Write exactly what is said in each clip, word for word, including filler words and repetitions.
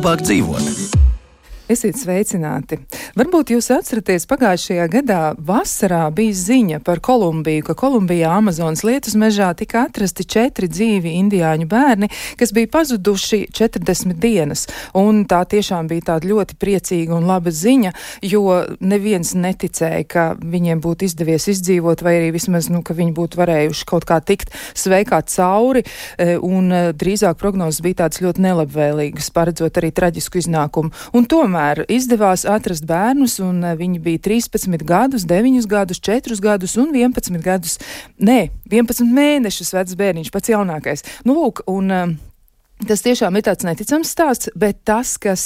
labāk dzīvot. Esiet sveicināti! Varbūt jūs atceraties, pagājušajā gadā vasarā bija ziņa par Kolumbiju, ka Kolumbijā Amazonas lietus mežā tika atrasti četri dzīvi indiāņu bērni, kas bija pazuduši četrdesmit dienas. Un tā tiešām bija tāda ļoti priecīga un laba ziņa, jo neviens neticēja, ka viņiem būtu izdevies izdzīvot, vai arī vismaz, nu, ka viņi būtu varējuši kaut kā tikt sveikā cauri, un drīzāk prognozes bija tādas ļoti nelabvēlīgas, paredzot arī traģisku iznākumu. Un tomēr izdevās atrast bērnus, un viņi bija trīspadsmit gadus, deviņus gadus, četrus gadus un vienpadsmit gadus, nē, vienpadsmit mēnešus vecs bērniņš, pats jaunākais. Nu, lūk, un tas tiešām ir tāds neticams stāsts, bet tas, kas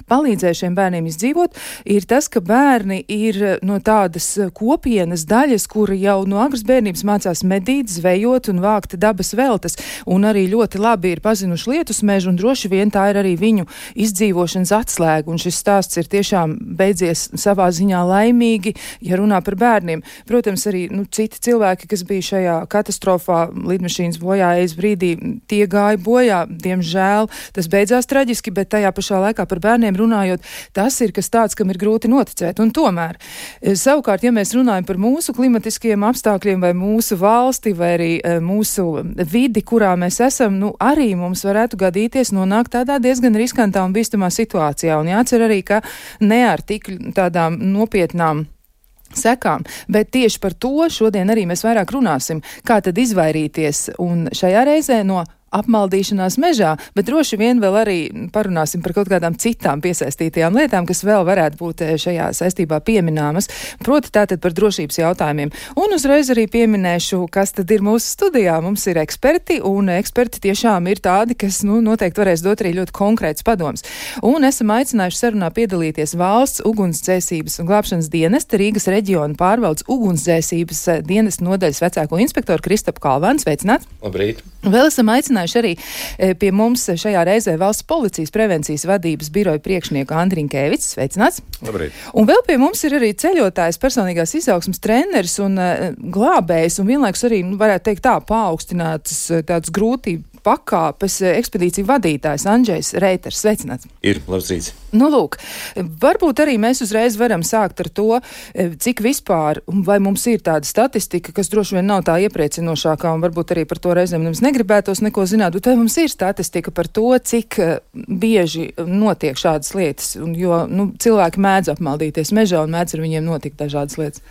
palīdzēja šiem bērniem izdzīvot, ir tas, ka bērni ir no tādas kopienas daļas, kuri jau no agras bērnības mācās medīt, zvejot un vākt dabas veltes, un arī ļoti labi ir pazinuši lietus mežu, un droši vien tā ir arī viņu izdzīvošanas atslēga, un šis stāsts ir tiešām beidzies savā ziņā laimīgi, ja runā par bērniem. Protams, arī nu, citi cilvēki, kas bija šajā katastrofā, lidmašīnas bojājas brīdī, tie gāja bojā, Žēl, tas beidzās traģiski, bet tajā pašā laikā par bērniem runājot, tas ir kas tāds, kam ir grūti noticēt. Un tomēr, savukārt, ja mēs runājam par mūsu klimatiskajiem apstākļiem vai mūsu valsti vai arī mūsu vidi, kurā mēs esam, nu arī mums varētu gadīties nonākt tādā diezgan riskantā un bīstamā situācijā. Un jācer arī, ka ne ar tik tādām nopietnām sekām, bet tieši par to šodien arī mēs vairāk runāsim, kā tad izvairīties un šajā reizē no apmaldīšanās mežā, bet droši vien vēl arī parunāsim par kaut kādām citām piesaistītajām lietām, kas vēl varētu būt šajā saistībā piemināmas, proti tātad par drošības jautājumiem. Un uzreiz arī pieminēšu, kas tad ir mūsu studijā. Mums ir eksperti, un eksperti tiešām ir tādi, kas, nu, noteikti varēs dot arī ļoti konkrēts padoms. Un esam aicinājuši sarunā piedalīties valsts ugunsdzēsības un glābšanas dienesta Rīgas reģiona pārvaldes ugunsdzēsības dienesta nodaļas vecāko inspektoru Kristapu Kalvānu. Sveicināt! Labrīt! Vēl esam aicinājuši arī pie mums šajā reizē Valsts policijas prevencijas vadības biroja priekšnieku Andriņkēvics. Sveicināts! Labrīt! Un vēl pie mums ir arī ceļotājs, personīgās izaugsmas treneris un uh, glābējs, un vienlaikus arī, nu, varētu teikt tā, paaugstinātas tādas grūtību pakāpes ekspedīciju vadītājs Andžejs Reiters. Sveicināts! Ir, labs rīts! Nu, lūk, varbūt arī mēs uzreiz varam sākt ar to, cik vispār, vai mums ir tāda statistika, kas droši vien nav tā iepriecinošākā, un varbūt arī par to reizēm mums negribētos neko zināt, bet vai mums ir statistika par to, cik bieži notiek šādas lietas, un, jo nu, cilvēki mēdz apmaldīties mežā un mēdz ar viņiem notikt dažādas lietas.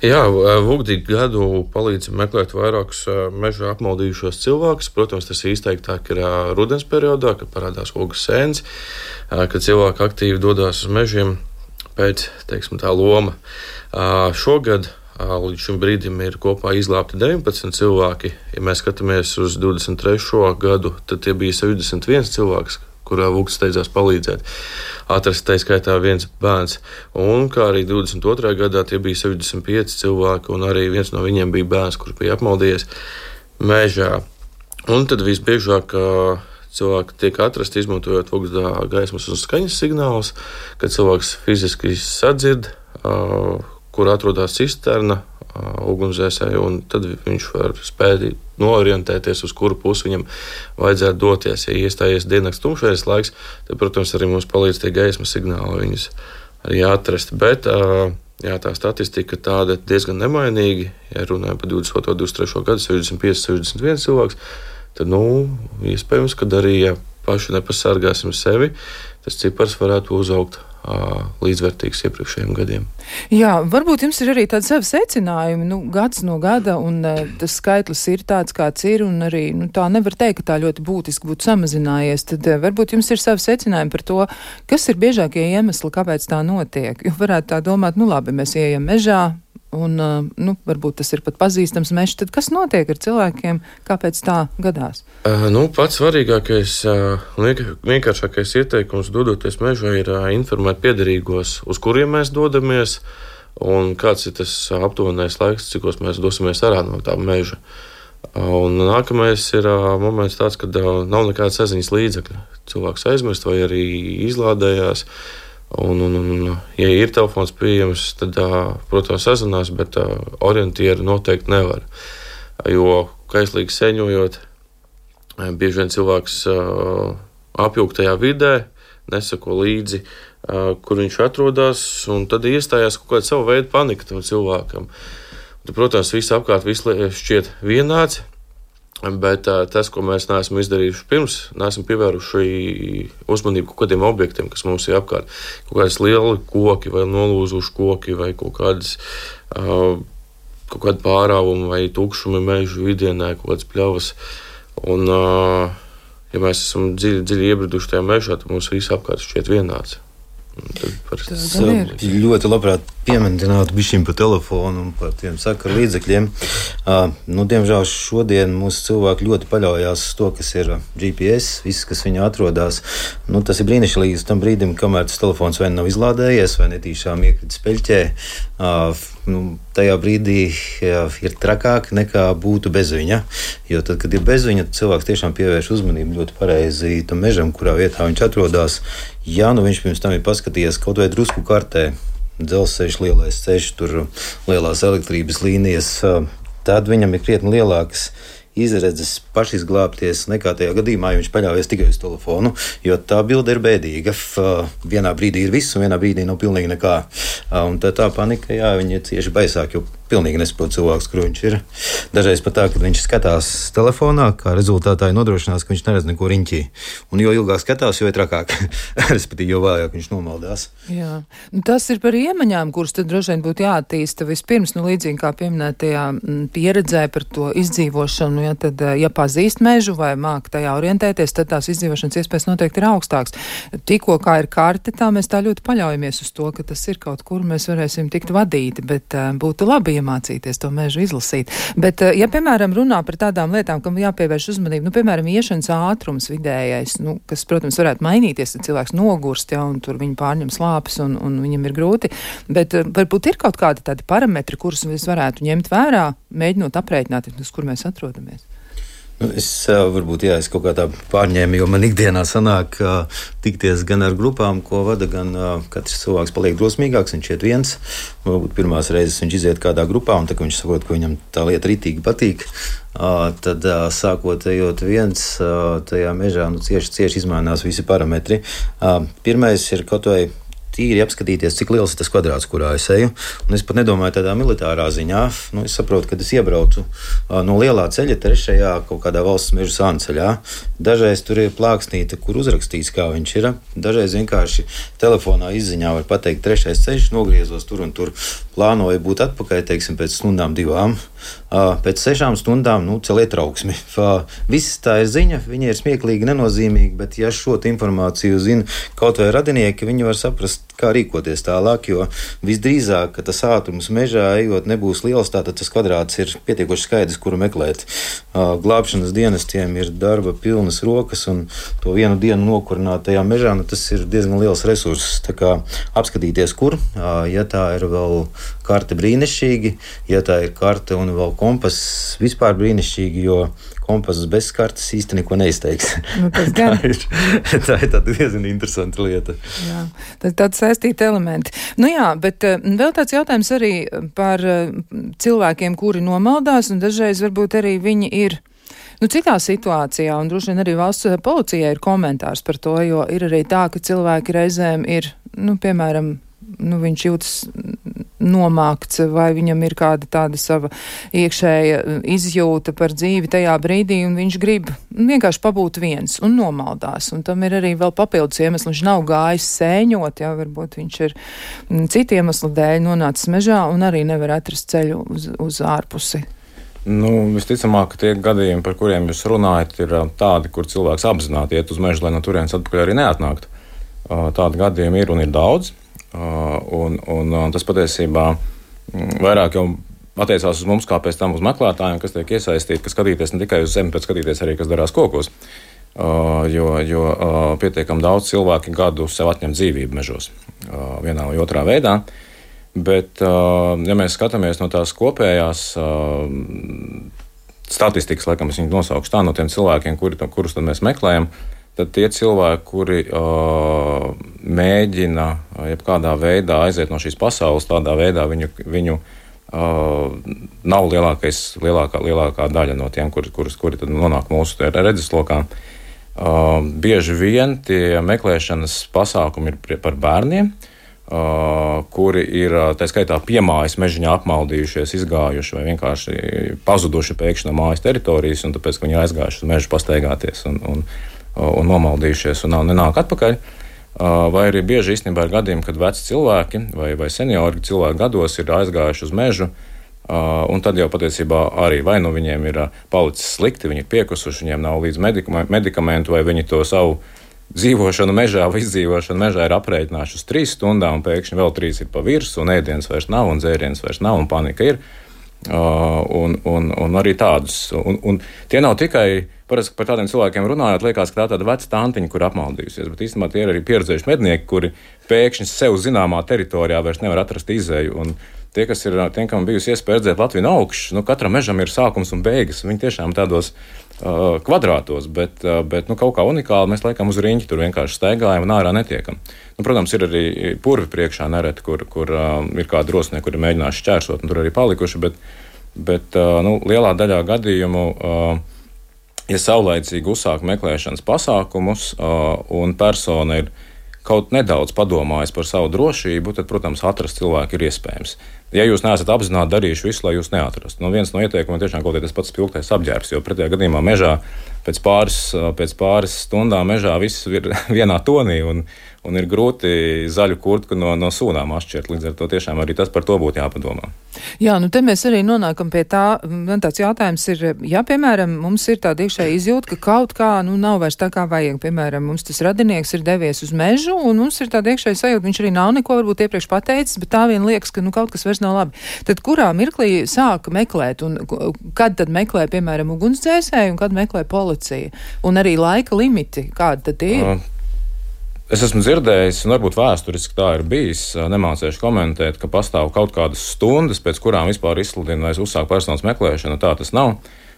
Jā, Vugdīgi gadu palīdzam meklēt vairākus mežā apmaldījušos cilvēkus. Protams, tas īsteiktāk ir rudens periodā, kad parādās ogas sēnes, kad cilvēki aktīvi dodas uz mežiem pēc, teiksim, tā loma. Šogad līdz šim brīdim ir kopā izglābti deviņpadsmit cilvēki. Ja mēs skatāmies uz divdesmit trešo gadu, tad tie bija septiņdesmit viens cilvēks, kurā Vugds steidzās palīdzēt. Atrast tā skaitā viens bērns. Un kā arī divdesmit otrajā gadā tie bija septiņdesmit pieci cilvēki, un arī viens no viņiem bija bērns, kurš bija apmaldījies mežā. Un tad visbiežāk cilvēki tiek atrasti izmantojot Vugdā gaismas un skaņas signālus, kad cilvēks fiziski sadzird, kur atrodas cisterna ugunsdzēsēji, un tad viņš var spēt noorientēties, uz kuru pusi viņam vajadzētu doties. Ja iestājies diennakts tumšais laiks, tad, protams, arī mums palīdz tie gaismas signāli viņus arī atrast. Bet jā, tā statistika tāda diezgan nemainīga. Ja runājam par divdesmit otro, divdesmit trešo gadu, septiņdesmit pieci, septiņdesmit viens cilvēks, tad, nu, iespējams, kad arī, ja paši nepasargāsim sevi, tas cipars varētu uzaugt līdzvērtīgs iepriekšējiem gadiem. Jā, varbūt jums ir arī tādi savi secinājumi, nu, gads no gada, un uh, tas skaitlis ir tāds, kāds ir, un arī, nu, tā nevar teikt, ka tā ļoti būtiski būtu samazinājies, tad uh, varbūt jums ir savi secinājumi par to, kas ir biežākie iemesli, kāpēc tā notiek. Jo varētu tā domāt, nu, labi, mēs ieejam mežā, un, uh, nu, varbūt tas ir pat pazīstams mežs, tad kas notiek ar cilvēkiem, kāpēc tā gadās? Uh, nu, pats svarīgākais un uh, vienkāršākais ieteikums dodoties mežā ir uh, informēt piederīgos, uz kuriem mēs dodamies, un kāds ir tas aptuvenais laiks, cikos mēs dosimies ārā no tā meža. Uh, un nākamais ir uh, moments tāds, kad uh, nav nekāda saziņas līdzekļa. Cilvēks aizmirst vai arī izlādējās. Un, un, un, ja ir telefons pieejams, tad, protams, sazinās, bet orientieru noteikti nevar. Jo kaislīgi seņojot, bieži vien cilvēks apjūgtajā vidē nesako līdzi, kur viņš atrodas, un tad iestājās kaut kāda sava veida panika tam cilvēkam. Tad, protams, viss apkārt viss šķiet vienāds, bet tas, ko mēs neesam izdarījuši pirms, neesam pievēruši uzmanību kaut kādiem objektiem, kas mums ir apkārt. Kaut kādas lieli koki vai nolūzuši koki vai kaut kādas kaut kādi pārāvumi vai tukšumi mežu vidienē, kaut kādas pļavas. Un, ja mēs esam dziļi, dziļi iebriduši tajā mežā, tad mums viss apkārt šķiet vienāds. Es ļoti labprāt pieminētu bišķiņ par telefonu un par tiem sakaru līdzekļiem. Uh, nu, diemžēl šodien mūsu cilvēki ļoti paļaujās uz to, kas ir G P S, viss, kas viņā atrodas. Nu, tas ir brīnišķīgi līdz tam brīdim, kamēr tas telefons vai nav izlādējies, vai netīšām iekritis peļķē. Uh, nu, tajā brīdī jā, ir trakāk nekā būtu bez viņa. Jo tad, kad ir bez viņa, tad cilvēks tiešām pievērš uzmanību ļoti pareizi tam mežam, kurā vietā viņš atrodas. Ja nu viņš pirms tam ir paskatījies kaut vai drusku kartē, dzelzceļš, lielais ceļš, tur lielās elektrības līnijas, tad viņam ir krietni lielākas izredzes pašizglābties nekā tajā gadījumā, ja viņš paļaujas tikai uz telefonu, jo tā bilde ir bēdīga. Vienā brīdī ir viss, un vienā brīdī nav pilnīgi nekā. Un tā, tā panika, jā, viņi ir cieši baisāk, jo pilnīgi nesaprot cilvēks, kur viņš ir. Dažreiz pat tā, kad viņš skatās telefonā, kā rezultātā ir nodrošinās, ka viņš neredz neko riņķī. Un jo ilgāk skatās, jo ir trakāk. Respektīvi, jo vājāk viņš nomaldās. Jā. Nu, tas ir par iemaņām, kuras tad droši vien būtu jāattīsta vispirms, nu līdzīgi kā pieminētajā pieredzē par to izdzīvošanu, ja tad, ja pazīst mežu vai māk tajā orientēties, tad tās izdzīvošanas iespējas noteikti ir augstāks. Tikko kā ir karte, tā mēs tā ļoti paļaujamies uz to, ka tas ir kaut kur, mēs varēsim tikt vadīti, bet uh, būtu labi iemācīties to mežu izlasīt. Bet, ja, piemēram, runā par tādām lietām, kam jāpievērš uzmanību, nu, piemēram, iešanas ātrums vidējais, nu, kas, protams, varētu mainīties, tad cilvēks nogurst, ja, un tur viņi pārņem slāpes, un, un viņam ir grūti, bet varbūt ir kaut kādi tādi parametri, kurus mēs varētu ņemt vērā, mēģinot aprēķināt, uz kur mēs atrodamies. Nu, es varbūt, jā, es kaut kā tā pārņēmu, jo man ikdienā sanāk uh, tikties gan ar grupām, ko vada, gan uh, katrs cilvēks paliek drosmīgāks, viņš iet viens. Varbūt pirmās reizes viņš iziet kādā grupā, un tā, ka viņš saprot, ka viņam tā lieta ritīgi patīk, uh, tad uh, sākot ejot viens uh, tajā mežā, nu, cieši, cieši izmainās visi parametri. Uh, pirmais ir kaut vai tīri apskatīties, cik liels ir tas kvadrāts, kurā es eju. Un es pat nedomāju tādā militārā ziņā. Nu, es saprotu, ka es iebraucu uh, no lielā ceļa trešajā kaut kādā valsts meža sānceļā. Dažreiz tur ir plāksnīte, kur uzrakstīts, kā viņš ir. Dažreiz vienkārši telefonā izziņā var pateikt trešais ceļš, nogriezos tur un tur. Plānoju būt atpakaļ, teiksim, pēc stundām divām. Uh, pēc sešām stundām, nu, celiet trauksmi. Uh, viss tā ir ziņa, viņa ir smieklīgi, nenozīmīga, bet ja šo informāciju zina kaut vai radinieki, viņi var saprast, kā rīkoties tālāk, jo visdrīzāk, ka tas ātrums mežā ejot nebūs liels, tātad tas kvadrāts ir pietiekoši skaidrs, kuru meklēt. Uh, glābšanas dienestiem ir darba pilnas rokas, un to vienu dienu nokurināt tajā mežā, nu, tas ir diezgan liels resurss. Tā kā apskatīties, kur, uh, ja tā ir vēl karte brīnišķīgi, ja tā ir karte un vēl kompass vispār brīnišķīgi, jo kompass bez kartes īsti neko neizteiks. Nu, tā, ir, tā ir tāda diezgan interesanta lieta. Jā, tad tādi saistīti elementi. Nu jā, bet uh, vēl tāds jautājums arī par uh, cilvēkiem, kuri nomaldās, un dažreiz varbūt arī viņi ir nu, citā situācijā, un droši vien arī valsts policijai ir komentārs par to, jo ir arī tā, ka cilvēki reizēm ir, nu, piemēram, nu, viņš jūtas nomākts, vai viņam ir kāda tāda sava iekšēja izjūta par dzīvi tajā brīdī, un viņš grib vienkārši pabūt viens un nomaldās. Un tam ir arī vēl papildus iemesli. Viņš nav gājis sēņot, jā, varbūt viņš ir citu iemeslu dēļ nonācis mežā un arī nevar atrast ceļu uz, uz ārpusi. Nu, visticamāk, tie gadījumi, par kuriem jūs runājat, ir tādi, kur cilvēks apzināti iet uz mežu, lai no turienes atpakaļ arī neatnāktu. Tādi gadījumi ir un ir daudz. Uh, un, un, un tas patiesībā vairāk jau attiecās uz mums, kā pēc tam uz meklētājiem, kas tiek iesaistīti, kas skatīties ne tikai uz zemi, bet skatīties arī, kas darās kokos. Uh, jo jo uh, pietiekam daudz cilvēki gadu sev atņem dzīvību mežos uh, vienā vai otrā veidā. Bet, uh, ja mēs skatāmies no tās kopējās uh, statistikas, laikam es viņu nosaukšu tā, no tiem cilvēkiem, kuri, kurus tad mēs meklējam, tad tie cilvēki, kuri uh, mēģina uh, jebkādā veidā aiziet no šīs pasaules, tādā veidā viņu, viņu uh, nav lielākais, lielākā, lielākā daļa no tiem, kuri, kuri, kuri tad nonāk mūsu redzeslokā. Uh, bieži vien tie meklēšanas pasākumi ir par bērniem, uh, kuri ir tā skaitā piemājas mežiņā apmaldījušies, izgājuši vai vienkārši pazuduši pēkšņi no mājas teritorijas, un tāpēc, ka viņi aizgājuši uz mežu pastaigāties un, un, un nomaldījušies un nav nenāk atpakaļ. Uh, vai arī bieži īstenībā ir gadījumi, kad veci cilvēki vai, vai seniori cilvēki gados ir aizgājuši uz mežu, Uh, un tad jau patiesībā arī vai nu viņiem ir uh, palicis slikti, viņi ir piekusuši, viņiem nav līdz medikamentu, vai viņi to savu dzīvošanu mežā vai izdzīvošanu mežā ir aprēķinājuši uz trīs stundām, un pēkšņi vēl trīs ir pa virsmu, un ēdienas vairs nav, un dzēriens vairs nav, un panika ir. Uh, un, un, un arī tādus. Un, un tie nav tikai, parasti par tādiem cilvēkiem runājot, liekas, ka tā tāda veca tantiņa, kur apmaldījusies, bet īstenībā tie ir arī pieredzējuši mednieki, kuri pēkšņi sev zināmā teritorijā vairs nevar atrast izēju. Un tie, kas ir, tiem, kam bijusi iespēja redzēt Latviju no augšas, nu, katram mežam ir sākums un beigas. Viņi tiešām tādos uh, kvadrātos, bet, uh, bet nu, kaut kā unikāli mēs laikam uz riņķi tur vienkārši staigājam un ārā netiekam. Nu, protams, ir arī purvi priekšā nereti, kur, kur uh, ir kādi drosnieki, kuri mēģinājuši šķērsot un tur arī palikuši, bet, bet uh, nu, lielā daļā gadījumu, uh, ja saulaicīgi uzsāk meklēšanas pasākumus uh, un persona ir kaut nedaudz padomājis par savu drošību, tad, protams, atrast cilvēku ir iespējams. Ja jūs neesat apzināti darījuši visu, lai jūs neatrastu. Nu, viens no ieteikumiem tiešām kaut kāds pats spilgtais apģērbs, jo pretējā gadījumā mežā pēc pāris, pēc pāris stundām mežā viss ir vienā tonī un, un ir grūti zaļu kurtku no, no sūnām atšķirt. Līdz ar to tiešām arī tas par to būtu jāpadomā. Jā, nu te mēs arī nonākam pie tā, man tāds jautājums ir, ja, piemēram, mums ir tāda iekšēja izjūta, ka kaut kā, nu, nav vairs tā kā vajag, piemēram, mums tas radinieks ir devies uz mežu, un mums ir tāda iekšēja sajūta, viņš arī nav neko varbūt iepriekš pateicis, bet tā vien liekas, ka, nu, kaut kas vairs nav labi. Tad kurā mirklī sāka meklēt, un kad tad meklē, piemēram, ugunsdzēsēji, un kad meklē policija? Un arī laika limiti, kādi tad tie ir? Uh. Es esmu dzirdējis, un varbūt vēsturiski tā ir bijis, nemācēšu komentēt, ka pastāv kaut kādas stundas, pēc kurām vispār izsludina vai uzsāk personas meklēšanu. Tā tas nav.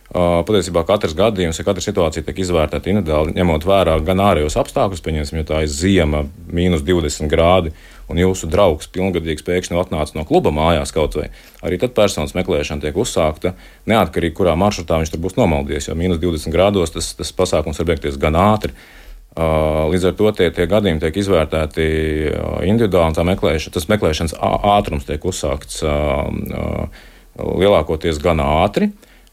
Patiesībā katrs gadījums, ja katra situācija tiek izvērtēta individuāli, ņemot vērā gan ārējos apstākļus, pieņemsim, ja tā ir ziema, mīnus divdesmit grādi, un jūsu draugs pilngadīgs pēkšņi atnāca no kluba mājās kaut vai, arī tad personas meklēšana tiek uzsākta, neatkarīgi kurā maršrutā viņš tur būs nomaldījies, jo mīnus divdesmit grādos tas, tas pasākums var beigties gan ātri. Līdz ar to tie, tie gadījumi tiek izvērtēti individuāli, tā meklēšana, tas meklēšanas ātrums tiek uzsākts lielākoties gan ātri,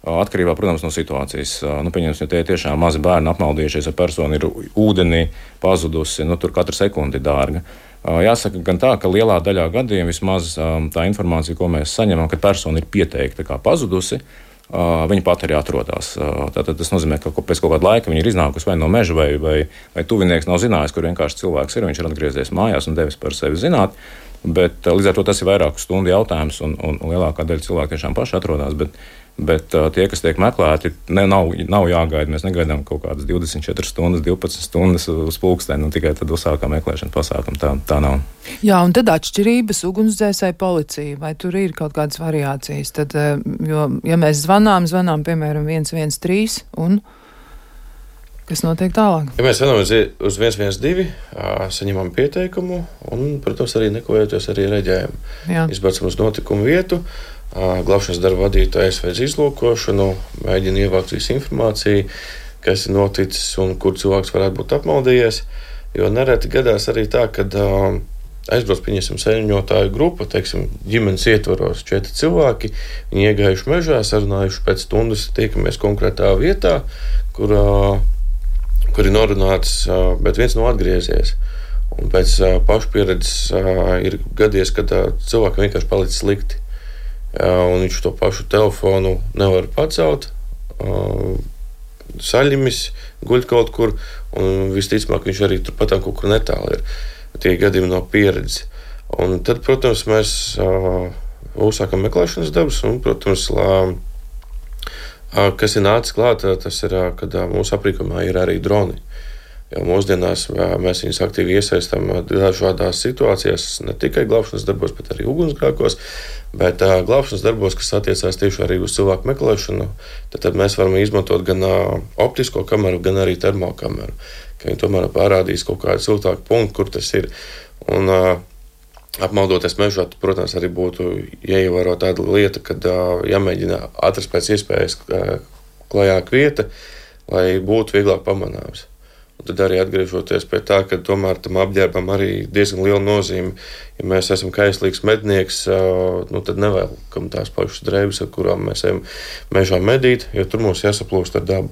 atkarībā, protams, no situācijas. Nu, pieņemsim, ja tie tiešām mazi bērni apmaldījušies, ja persona ir ūdenī pazudusi, nu, tur katra sekundi ir dārga. Jāsaka gan tā, ka lielā daļā gadījumā vismaz tā informācija, ko mēs saņemam, kad persona ir pieteikta kā pazudusi, viņa pat arī atrodas. Tātad tas nozīmē, ka pēc kaut kāda laika viņa ir iznākusi vai no meža, vai, vai, vai tuvinieks nav zinājis, kur vienkārši cilvēks ir. Viņš ir atgriezies mājās un devis par sevi zināt. Bet līdz ar to tas ir vairāku stundu jautājums, un, un, un lielākā daļa cilvēku tiešām paši atrodas. Bet, bet tie, kas tiek meklēti, ne, nav, nav jāgaida. Mēs negaidām kaut kādas divdesmit četras stundas, divpadsmit stundas uz pulksteni, un tikai tad uzsākām meklēšanas pasākumu. Tā, tā nav. Jā, un tad atšķirības ugunsdzēsēji policija, vai tur ir kaut kādas variācijas? Tad, jo, ja mēs zvanām, zvanām, piemēram, viens viens trīs, un kas notiek tālāk? Ja mēs zvanām uz viens viens divi, saņemam pieteikumu, un, protams, arī nekojoties arī reģējam. Izbraucam uz notikumu vietu, glābšanas darba vadītājs veic izlūkošanu, mēģina ievākt visu informāciju, kas ir noticis un kur cilvēks varētu būt apmaldījies. Jo nereti gadās arī tā, kad uh, aizbrauc, pieņemsim, saņemņotāju grupa, teiksim, ģimenes ietvaros četri cilvēki, viņi iegājuši mežā, sarunājuši pēc stundas, tiekamies konkrētā vietā, kur, uh, kur ir norunāts, uh, bet viens nav atgriezies. Un pēc uh, pašu pieredzes uh, ir gadies, kad uh, cilvēkam vienkārši palicis slikti. Un viņš to pašu telefonu nevar pacelt, saļimis, guļ kaut kur, un visticamāk viņš arī turpat kaut kur netālu ir. Tie gadījumi no pieredzes. Un tad, protams, mēs uzsākam meklēšanas darbus, un, protams, lā, kas ir nācis klāt, tas ir, kad mūsu aprīkojumā ir arī droni. Jo mūsdienās mēs viņus aktīvi iesaistām dažādās situācijās, ne tikai glābšanas darbos, bet arī ugunsgrēkos, bet uh, glābšanas darbos, kas attiecās tieši arī uz cilvēku meklēšanu, tad, tad mēs varam izmantot gan uh, optisko kameru, gan arī termokameru, ka viņi tomēr parādīs kaut kādu siltāku punktu, kur tas ir. Un uh, apmaldoties mežā, protams, arī būtu jāievēro tāda lieta, kad uh, jāmēģina atrast pēc iespējas uh, klajāk vieta, lai būtu vieglāk pamanāms. Tad arī atgriežoties pie tā, ka tomēr tam apģērbam arī diezgan liela nozīme. Ja mēs esam kaislīgs mednieks, nu, tad nevēlkam tās pašas drēbes, ar kurām mēs ejam mežā medīt, jo tur mums jāsaplūst ar dabu.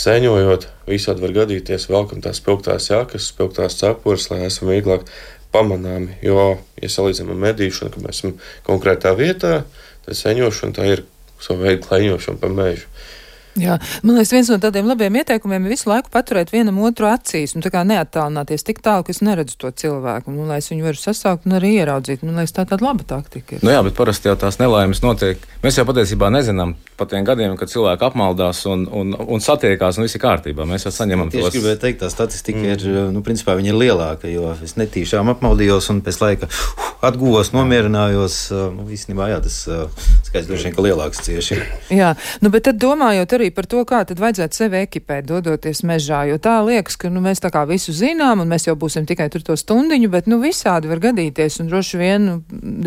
Sēņojot, visādi var gadīties, velkam tās spilgtās jakas, spilgtās cepures, lai esam vieglāk pamanāmi. Jo, ja salīdzinām ar medīšanu, ka mēs esam konkrētā vietā, tad sēņošana tā ir savu veidu klaiņošana pa mežu. Jā, man liekas, viens no tādiem labiem ieteikumiem ir visu laiku paturēt vienam otru acīs, nu tā kā neattālināties tik tālu, ka es neredzu to cilvēku, nu, lai es viņu varu sasaukt un arī ieraudzīt. Man liekas, tā tāda laba taktika ir. Nu jā, bet parasti jau tās nelaimes notiek. Mēs jau patiesībā nezinām par tiem gadiem, kad cilvēki apmaldās un, un, un satiekās un viss ir kārtībā. Mēs jau saņemam tos. Tieši gribēju teikt, tā statistika mm. ir, nu, principā viņa ir lielāka, jo es netīšām apmaldījos un pēc laika uh, atguvos, nomierinājos. Nu, īstenībā, jā, tas skaits droši vien, ka lielāks cieši. Jā, nu, bet tad domājot arī par to, kā tad vajadzētu sevi ekipēt, dodoties mežā, jo tā liekas, ka nu, mēs tā kā visu zinām, un mēs jau būsim tikai tur to stundiņu, bet nu visādi var gadīties, un droši vien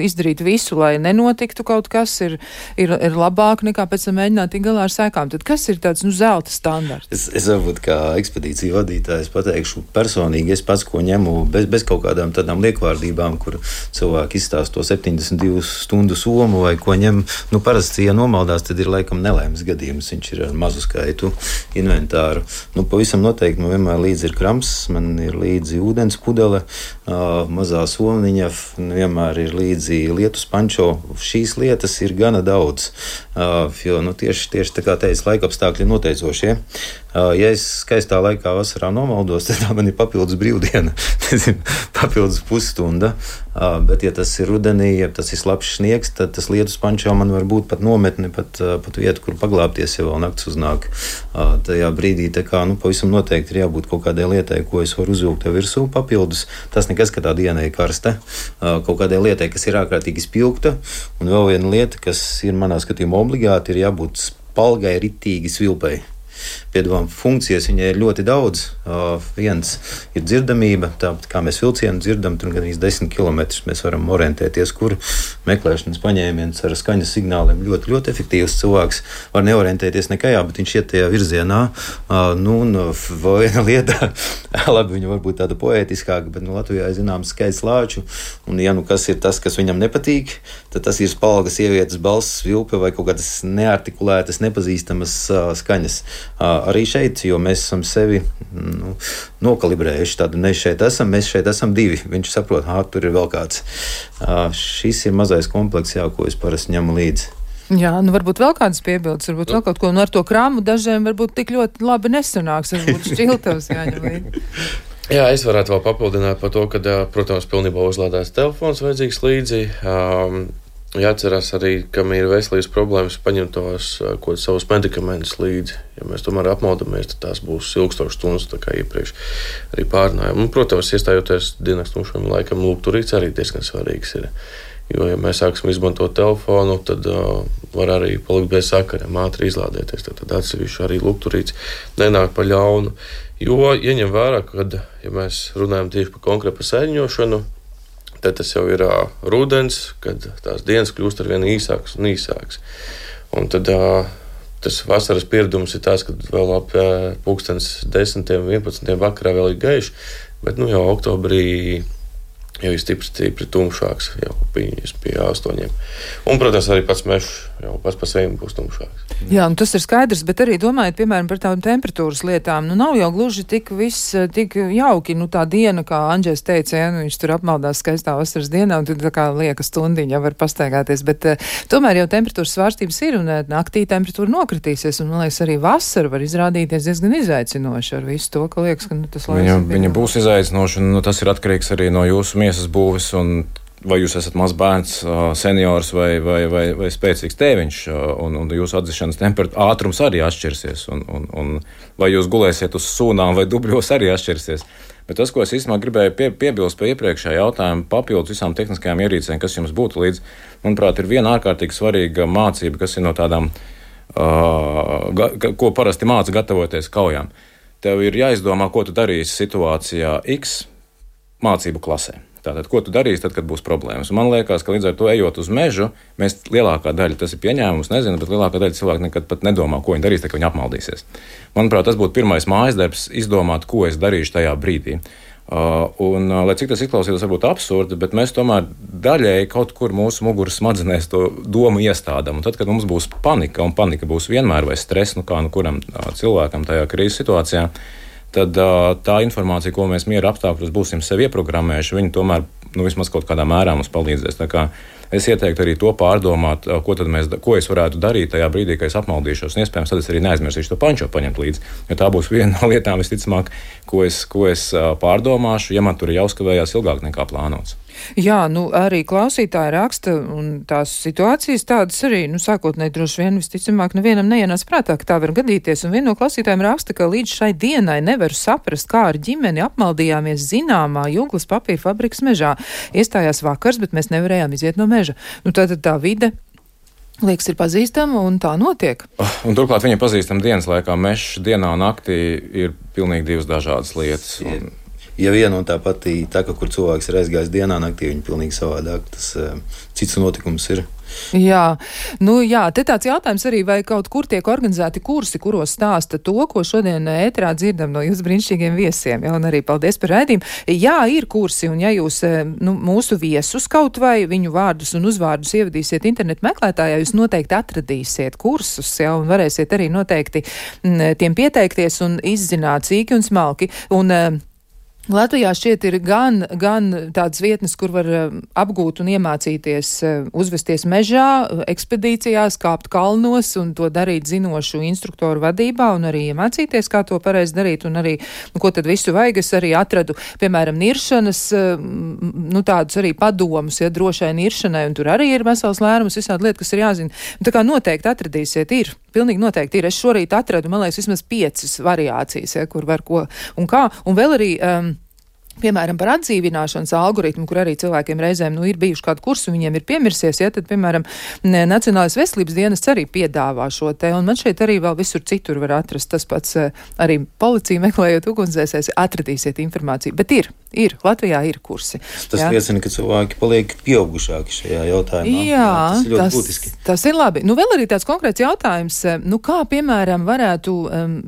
izdarīt visu, lai nenotiktu kaut kas, ir, ir, ir labāk nekā pēc tam mēģināt tik galā ar sēkām. Tad kas ir tāds, nu, zelta standarts? Es, es varbūt kā ekspedīciju vadītājs pateikšu personīgi, es pats ko ņemu bez, bez kaut kādām tādām liekvārdībām, kur cilvēki izstāst to septiņdesmit divu stundu somu vai ko ņem. Nu, parasti, ja nomaldās, tad ir laikam nelaimes gadījums. Viņš ir ar mazu skaitu inventāru. Nu, pavisam noteikti man vienmēr līdzi ir krams, man ir līdzi ūdens pudele, uh, mazā somniņa, vienmēr ir līdzi lietus pančo. Šīs lietas ir gana daudz, uh, jo nu, tieši, tieši tā kā teica, laikapstākļi noteicošie. Uh, ja es skaistā laikā vasarā nomaldos, tad tā man ir papildus brīvdiena, papildus pusstunda. Uh, bet, ja tas ir rudenī, ja tas ir slapjš sniegs, tad tas lietus pančo man var būt pat nometni, pat, uh, pat vieta, kur paglāpties, ja vēl nakts uznāk. Uh, tajā brīdī tā kā, nu, pavisam noteikti ir jābūt kaut kādai lietai, ko es varu uzvilkt tev virsū papildus. Tas nekas, ka tā diena ir karsta. Uh, kaut kādai lietai, kas ir ārkārtīgi spilgta. Un vēl viena lieta, kas ir manā skatījumā obligāti, ir jābūt spalgai, ritīgi svilpai. Piedāvājuma funkcijas viņai ir ļoti daudz. Uh, viens ir dzirdamība, tāpat kā mēs vilcienu dzirdam, tur gan īsti desmit kilometrus mēs varam orientēties, kur meklēšanas paņēmiens ar skaņas signāliem ļoti, ļoti efektīvs cilvēks var neorientēties nekajā, bet viņš iet tajā virzienā. Uh, nu, un vēl viena lieta, labi, viņa varbūt tāda poētiskāka, bet nu, Latvijā ir zināms skaits lāču, un ja nu kas ir tas, kas viņam nepatīk, tad tas ir spalga sievietes balss, vilpe vai kaut kādas neartikulētas, nepazīstamas uh, skaņas. Uh, arī šeit, jo mēs esam sevi nu, nokalibrējuši. Tādu mēs šeit esam, mēs šeit esam divi. Viņš saprot, ah, tur ir vēl kāds. Uh, šis ir mazais komplekss, jā, ko es parasti ņemu līdzi. Jā, nu varbūt vēl kādas piebildes, varbūt vēl kaut ko, nu ar to krāmu dažiem varbūt tik ļoti labi nesanāks, varbūt šķiltavs jāņem līdzi. Jā, es varētu vēl papildināt par to, ka, protams, pilnībā uzlādēts telefons vajadzīgs līdzi. Um, Jāatcerās arī, kam ir veselības problēmas, paņemt tos kaut savus medikamentus līdzi. Ja mēs tomēr apmaldamies, tad tās būs ilgstošas stundas, tā kā iepriekš arī pārnājām. Un, protams, iestājoties dienas tumšam laikam, lūgturīts arī diezgan svarīgs ir. Jo, ja mēs sāksim izmantot telefonu, tad uh, var arī palikt bez sakariem, ātri izlādēties. Tad, tad atsevišķi arī lūgturīts nenāk pa ļaunu. Jo, ieņem vērā, kad, ja mēs runājam tieši par konkrētu sēņošanu, tad tas jau ir uh, rudens, kad tās dienas kļūst ar vien īsākas un īsākas. Un tad uh, tas vasaras pieredums ir tas, ka vēl ap uh, pulkstens desmitiem, vienpadsmitiem vakarā vēl ir gaiši, bet nu jau oktobrī jau ir stipri, stipri tumšāks, jau pie astoņiem. Un, protams, arī pats mežs jau pats pa sevi būs tumšāks. Jā, un tas ir skaidrs, bet arī domājot, piemēram, par tādām temperatūras lietām, nu nav jau gluži tik viss, tik jauki, nu tā diena, kā Andžēs teica, ja, nu viņš tur apmaldās skaistā vasaras dienā, un tur tā kā lieka stundiņa var pastaigāties, bet uh, tomēr jau temperatūras svārstības ir, un uh, naktī temperatūra nokritīsies, un, man liekas, arī vasara var izrādīties diezgan izaicinoši ar visu to, ka liekas, ka nu, tas laiks viņa, viņa būs izaicinoši, un nu, tas ir atkarīgs arī no jūsu miesas būves, un vai jūs esat mazs bērns, seniors vai, vai, vai, vai spēcīgs tēviņš, un, un jūsu atdzišanas temperatūra ātrums arī atšķirsies, un, un, un vai jūs gulēsiet uz sūnām vai dubļos arī atšķirsies. Bet tas, ko es īstenībā gribēju pie, piebilst pie iepriekšējā jautājuma, papildus visām tehniskajām ierīcēm, kas jums būtu līdz, manuprāt, ir viena ārkārtīgi svarīga mācība, kas ir no tādām, uh, ga, ko parasti māca gatavoties kaujām. Tev ir jāizdomā, ko tu darīsi situācijā X mācību klasē. Tātad, ko tu darīsi tad, kad būs problēmas? Un man liekas, ka līdz ar to ejot uz mežu, mēs lielākā daļa, tas ir pieņēmums, nezinu, bet lielākā daļa cilvēku nekad pat nedomā, ko viņi darīs, tad, kad viņi apmaldīsies. Manuprāt, tas būtu pirmais mājas darbs, izdomāt, ko es darīšu tajā brīdī. Uh, un, uh, lai cik tas izklausītos varbūt absurdi, bet mēs tomēr daļēji kaut kur mūsu muguras smadzenēs to domu iestādām. Un tad, kad mums būs panika, un panika būs vienmēr vai stress, nu kā nu kuram uh, cilvēkam tajā krīzes situācijā, tad uh, tā informācija, ko mēs miera apstākļos būsim sev ieprogrammējuši, viņi tomēr nu, vismaz kaut kādā mērā mums palīdzēs. Tā kā es ieteiktu arī to pārdomāt, uh, ko, tad mēs, ko es varētu darīt tajā brīdī, kad es apmaldīšos. Un iespējams, tad es arī neaizmirsīšu to pančo paņemt līdzi. Jo tā būs viena no lietām, visticamāk, ko es, ko es uh, pārdomāšu, ja man tur ir jāuzkavējās ilgāk nekā plānots. Jā, nu arī klausītāji raksta, un tās situācijas tādas arī, nu sākotnēji droši vien visticamāk nevienam neienāc prātā, ka tā var gadīties, un viena no klausītājiem raksta, ka līdz šai dienai nevaru saprast, kā ar ģimeni apmaldījāmies zināmā Juglas papīra fabrikas mežā. Iestājās vakars, bet mēs nevarējām iziet no meža. Nu tātad tā vide liekas ir pazīstama, un tā notiek. Un turklāt viņa pazīstama dienas laikā. Mežs dienā un naktī ir pilnīgi divas dažādas lietas. Un... Ja viena un tā pati taka, kur cilvēks ir aizgājis dienā, naktī, viņa pilnīgi savādāk. Tas uh, cits notikums ir. Jā, nu jā, te tāds jautājums arī, vai kaut kur tiek organizēti kursi, kuros stāsta to, ko šodien ēterā dzirdam no jūsu brīnišķīgiem viesiem. Jā, un arī paldies par raidījumu. Jā, ir kursi, un ja jūs nu, mūsu viesus kaut vai viņu vārdus un uzvārdus ievadīsiet internetu meklētājā, jūs noteikti atradīsiet kursus, jā, un varēsiet arī noteikti m, tiem pieteikties un izzināt sīki un smalki. Un, Latvijā šķiet ir gan, gan tādas vietnes, kur var uh, apgūt un iemācīties uh, uzvesties mežā, ekspedīcijās, kāpt kalnos un to darīt zinošu instruktoru vadībā un arī iemācīties, kā to pareizi darīt un arī, nu, ko tad visu vajag. Es arī atradu, piemēram, niršanas, uh, nu, tādus arī padomus, ja drošai niršanai, un tur arī ir vesels lērums, visādi lietas, kas ir jāzina. Un tā kā noteikti atradīsiet, ir, pilnīgi noteikti ir. Es šorīt atradu, man liekas, vismaz piecas variācijas, ja, kur var ko un kā, un vēl arī... Um, Piemēram, par atdzīvināšanas algoritmu, kur arī cilvēkiem reizēm nu, ir bijuši kādu kursu, viņiem ir piemirsies, ja tad, piemēram, Nacionālais veselības dienests arī piedāvā šo te, un man šeit arī vēl visur citur var atrast tas pats, arī policija meklējot ugunsdzēsēs, atradīsiet informāciju, bet ir, ir, Latvijā ir kursi. Tas jā. Liecina, ka cilvēki paliek pieaugušāki šajā jautājumā. Jā, jā tas ir ļoti tas, būtiski. Tas ir labi. Nu, vēl arī tāds konkrēts jautājums, nu, kā, piemēram, varētu um,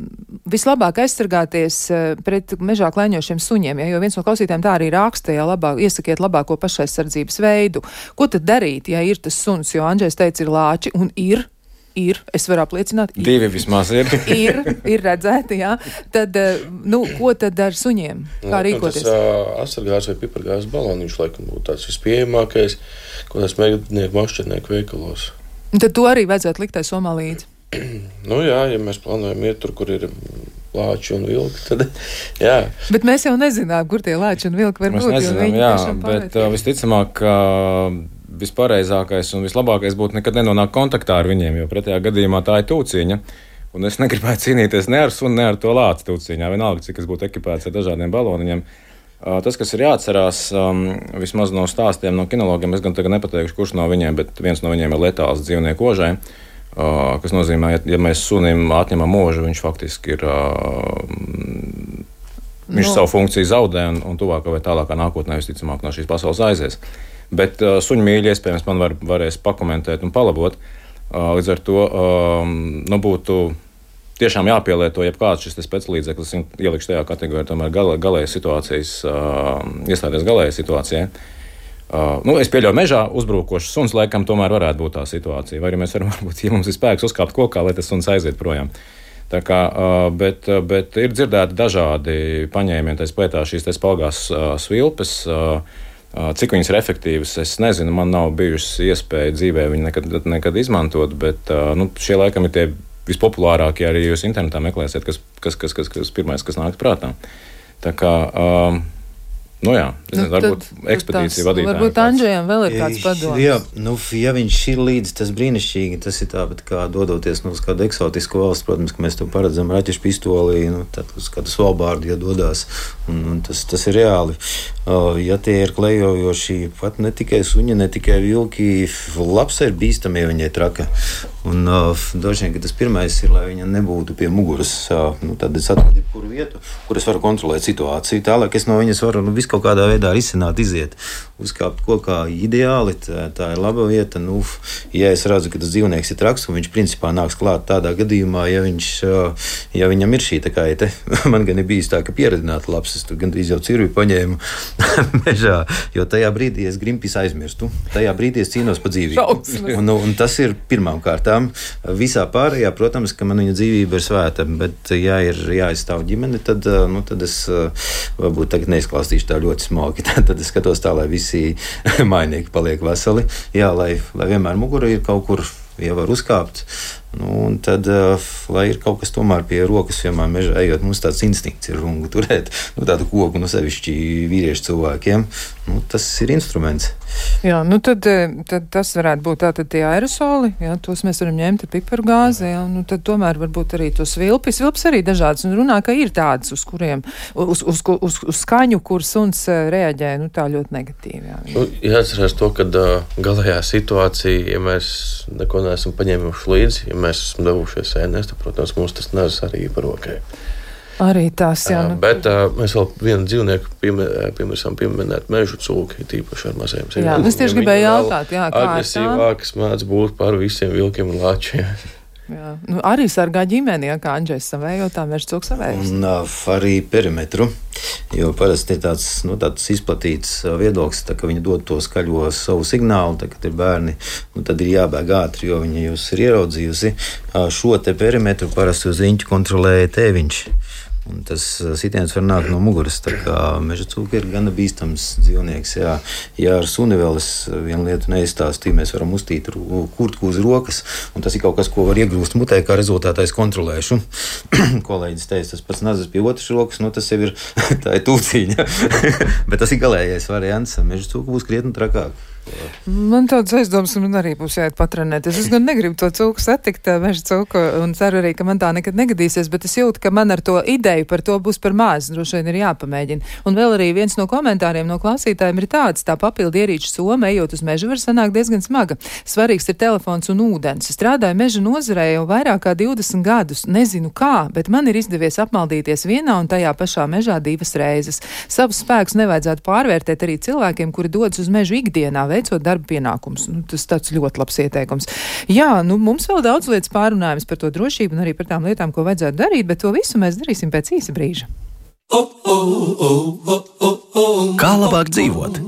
vislabāk aizsargāties uh, pret mežā klēņošiem suņiem, ja, jo viens no klausītājiem tā arī raksta, ja labāk, iesakiet labāko pašaizsardzības veidu. Ko tad darīt, ja ir tas suns, jo Andžejs teica, ir lāči, un ir, ir, es varu apliecināt. Ir, Divi vismaz ir. ir, ir redzēti, jā. Tad, nu, ko tad ar suņiem? Kā rīkoties? Tas uh, asargās vai pipargās baloniņš, laikam, būtu tāds vispieejamākais, ko tas mēģinieku mašķirnieku veikalos. Un tad to arī vajadzētu likt tai somā līdzi. Nu jā, ja mēs plānojam iet tur, kur ir lāči un vilki, tad jā. Bet mēs jau nezinām, kur tie lāči un vilki var mēs būt. Nezinām, jā, bet uh, visticamāk, uh, vispareizākais un vislabākais būtu nekad nenonākt kontaktā ar viņiem, jo pretējā gadījumā tā ir tūciņa. Un es negribētu cīnīties ne ar sunu, ne ar to lāci tūciņā, vienalga, cik es būtu ekipēts ar dažādiem baloniņiem. Uh, tas, kas ir jāatcerās, um, vismaz no stāstiem no kinologiem, es gan tagad nepateikšu, kurš no viņiem, bet viens no viņiem ir letāls dzīvnieku ožai. Uh, kas nozīmē, ja, ja mēs sunim atņemam mūžu, viņš faktiski ir, uh, viņš no. savu funkciju zaudē un, un tuvākā vai tālākā nākotnē visticamāk no šīs pasaules aizies. Bet uh, suņu mīļi iespējams man var, varēs pakomentēt un palabot. Uh, līdz ar to uh, nu, būtu tiešām jāpielieto jebkāds šis speciālīdzeklis, ielikšu tajā kategorijā tomēr galē, galējas situācijas, uh, iestāties galējas situācijai. Uh, nu, es pieļauju, mežā uzbrukošs suns laikam tomēr varētu būt tā situācija. Vai arī mēs varam, varbūt, ja mums ir spēks uzkāpt kokā, lai tas suns aiziet projām. Tā kā, uh, bet, bet ir dzirdēti dažādi paņēmieni, tā skaitā šīs tā spalgās uh, svilpes. Uh, uh, cik viņas ir efektīvas, es nezinu, man nav bijusi iespēja dzīvē viņu nekad, nekad izmantot, bet uh, nu, šie laikam ir tie vispopulārākie, arī jūs internetā meklēsiet, kas, kas, kas, kas, kas pirmais, kas nāk prātā. Tā kā... Uh, Nu jā, es nezinu, varbūt ekspedīcija vadītājiem. Varbūt Andžejam vēl ir kāds padoms. Jā, nu, ja viņš ir līdzi, tas brīnišķīgi, tas ir tāpat kā dodoties nu, uz kādu eksotisku valsts, protams, ka mēs to paredzam raķešu pistolī, nu, tad uz kādu Svalbārdu, ja dodās, un, un tas, tas ir reāli. Uh, ja tie ir klejojoši, pat ne tikai suņi, ne tikai vilki, labs ir bīstami, ja viņai traka. Un uh, droši vien, ka tas pirmais ir, lai viņa nebūtu pie muguras, uh, nu, tad es atradu jebkuru vietu, kur es varu kontrolēt situāciju. Tālāk es no viņas varu, nu, visu visu kaut kādā veidā risināt, iziet. Uzkāpt kokā ideāli, tā, tā ir laba vieta. Nu, ja es redzu, ka tas dzīvnieks ir traks, un viņš principā nāks klāt tādā gadījumā, ja, viņš, ja viņam ir šī tā kā, te, man gan ir bijis tā, ka pieredināta labs, es tur gandrīz jau cirvi paņēmu mežā, jo tajā brīdī es grimpis aizmirstu. Tajā brīdī es cīnos par dzīvību. Un, un tas ir pirmām kārtām. Visā pārējā, protams, ka man viņa dzīvība ir svēta, bet ja ir jāizstāv ģimene, tad, nu, tad es varbūt tagad neizklāstīšu tā ļoti smalki. Tad es skatos tā, lai visi mājnieki paliek veseli. Jā, lai, lai vienmēr mugura ir kaut kur, ja var uzkāpt. Nu, un tad, uh, lai ir kaut kas tomēr pie rokas, vienmēr mežā ejot, mums tāds instinkts ir rungu turēt, nu, tādu koku, nu, sevišķi vīriešu cilvēkiem. Nu, tas ir instruments. Jā, nu tad, tad tas varētu būt tātad tie aerosoli, jā, tos mēs varam ņemt ar piparu gāzi, jā, nu tad tomēr varbūt arī tos vilpis. Vilpis arī dažādas, un runā, ka ir tādas, uz kuriem, uz, uz, uz, uz skaņu, kur suns reaģē, nu tā ļoti negatīvi. Jā, nu, jāatcerās to, ka uh, galējā situācija, ja mēs neko neesam paņēmuši līdzi, ja mēs esam devušies ēnēs, tad, protams, mums tas nes arī par rokai. Arī tas, jā. Nu... Bet uh, mēs vēl vienu dzīvnieku piemirsām pieminēt mežu cūki, tīpaši ar maziem zivīm. Jā, es tieši gribēju jautāt, jā, kā agresīvākas mēdz būt par visiem vilkiem un lāčiem. Jā, nu arī sargā ģimeni, ja, kā Andžejs savējo, tā meža cūks savējos. Un uh, arī perimetru, jo parasti ir tāds, nu, tāds izplatīts viedoklis, tā, ka viņi dod to skaļo savu signālu, tā, kad ir bērni, nu, tad ir jābēg ātri, jo viņi jūs ir ieraudzījusi. Uh, šo te perimetru parasti uz riņķu kontrolēja tēviņš. Un tas sitiens var nākt no muguras. Tā kā meža cūka ir gana bīstams dzīvnieks. Jā. Ja ar suni vēl es vienu lietu neizstāstīju, mēs varam uztīt kurtku uz rokas, un tas ir kaut kas, ko var iegrūst mutē, kā rezultātā es kontrolēšu. Kolēģis teica, tas pats nazis pie otras rokas, nu tas jau ir, tā ir tūciņa. Bet tas ir galējais variants. Meža cūka būs krietni trakāk. Man tāds aizdoms, un man arī būs jāiet patrenēties. Es gan negribu to cūku satikt, meža cūku, un ceru arī, ka man tā nekad negadīsies, bet es jūtu, ka man ar to ideju par to būs par maz, droši vien ir jāpamēģina. Un vēl arī viens no komentāriem no klausītājiem ir tāds, tā papildu ierīču soma, ejot uz mežu, var sanākt diezgan smaga. Svarīgs ir telefons un ūdens. Strādāju meža nozarē jau vairāk kā divdesmit gadus. Nezinu kā, bet man ir izdevies apmaldīties vienā un tajā pašā mežā divas reizes. Savus spēkus nevajadzētu pārvērtēt arī cilvēkiem, kuri dodas uz mežu ikdienā, veicot darba pienākumus. Nu, tas tāds ļoti labs ieteikums. Jā, nu mums vēl daudz lietas pārunājums par to drošību un arī par tām lietām, ko vajadzētu darīt, bet to visu mēs darīsim pēc īsa brīža. Kā labāk dzīvot?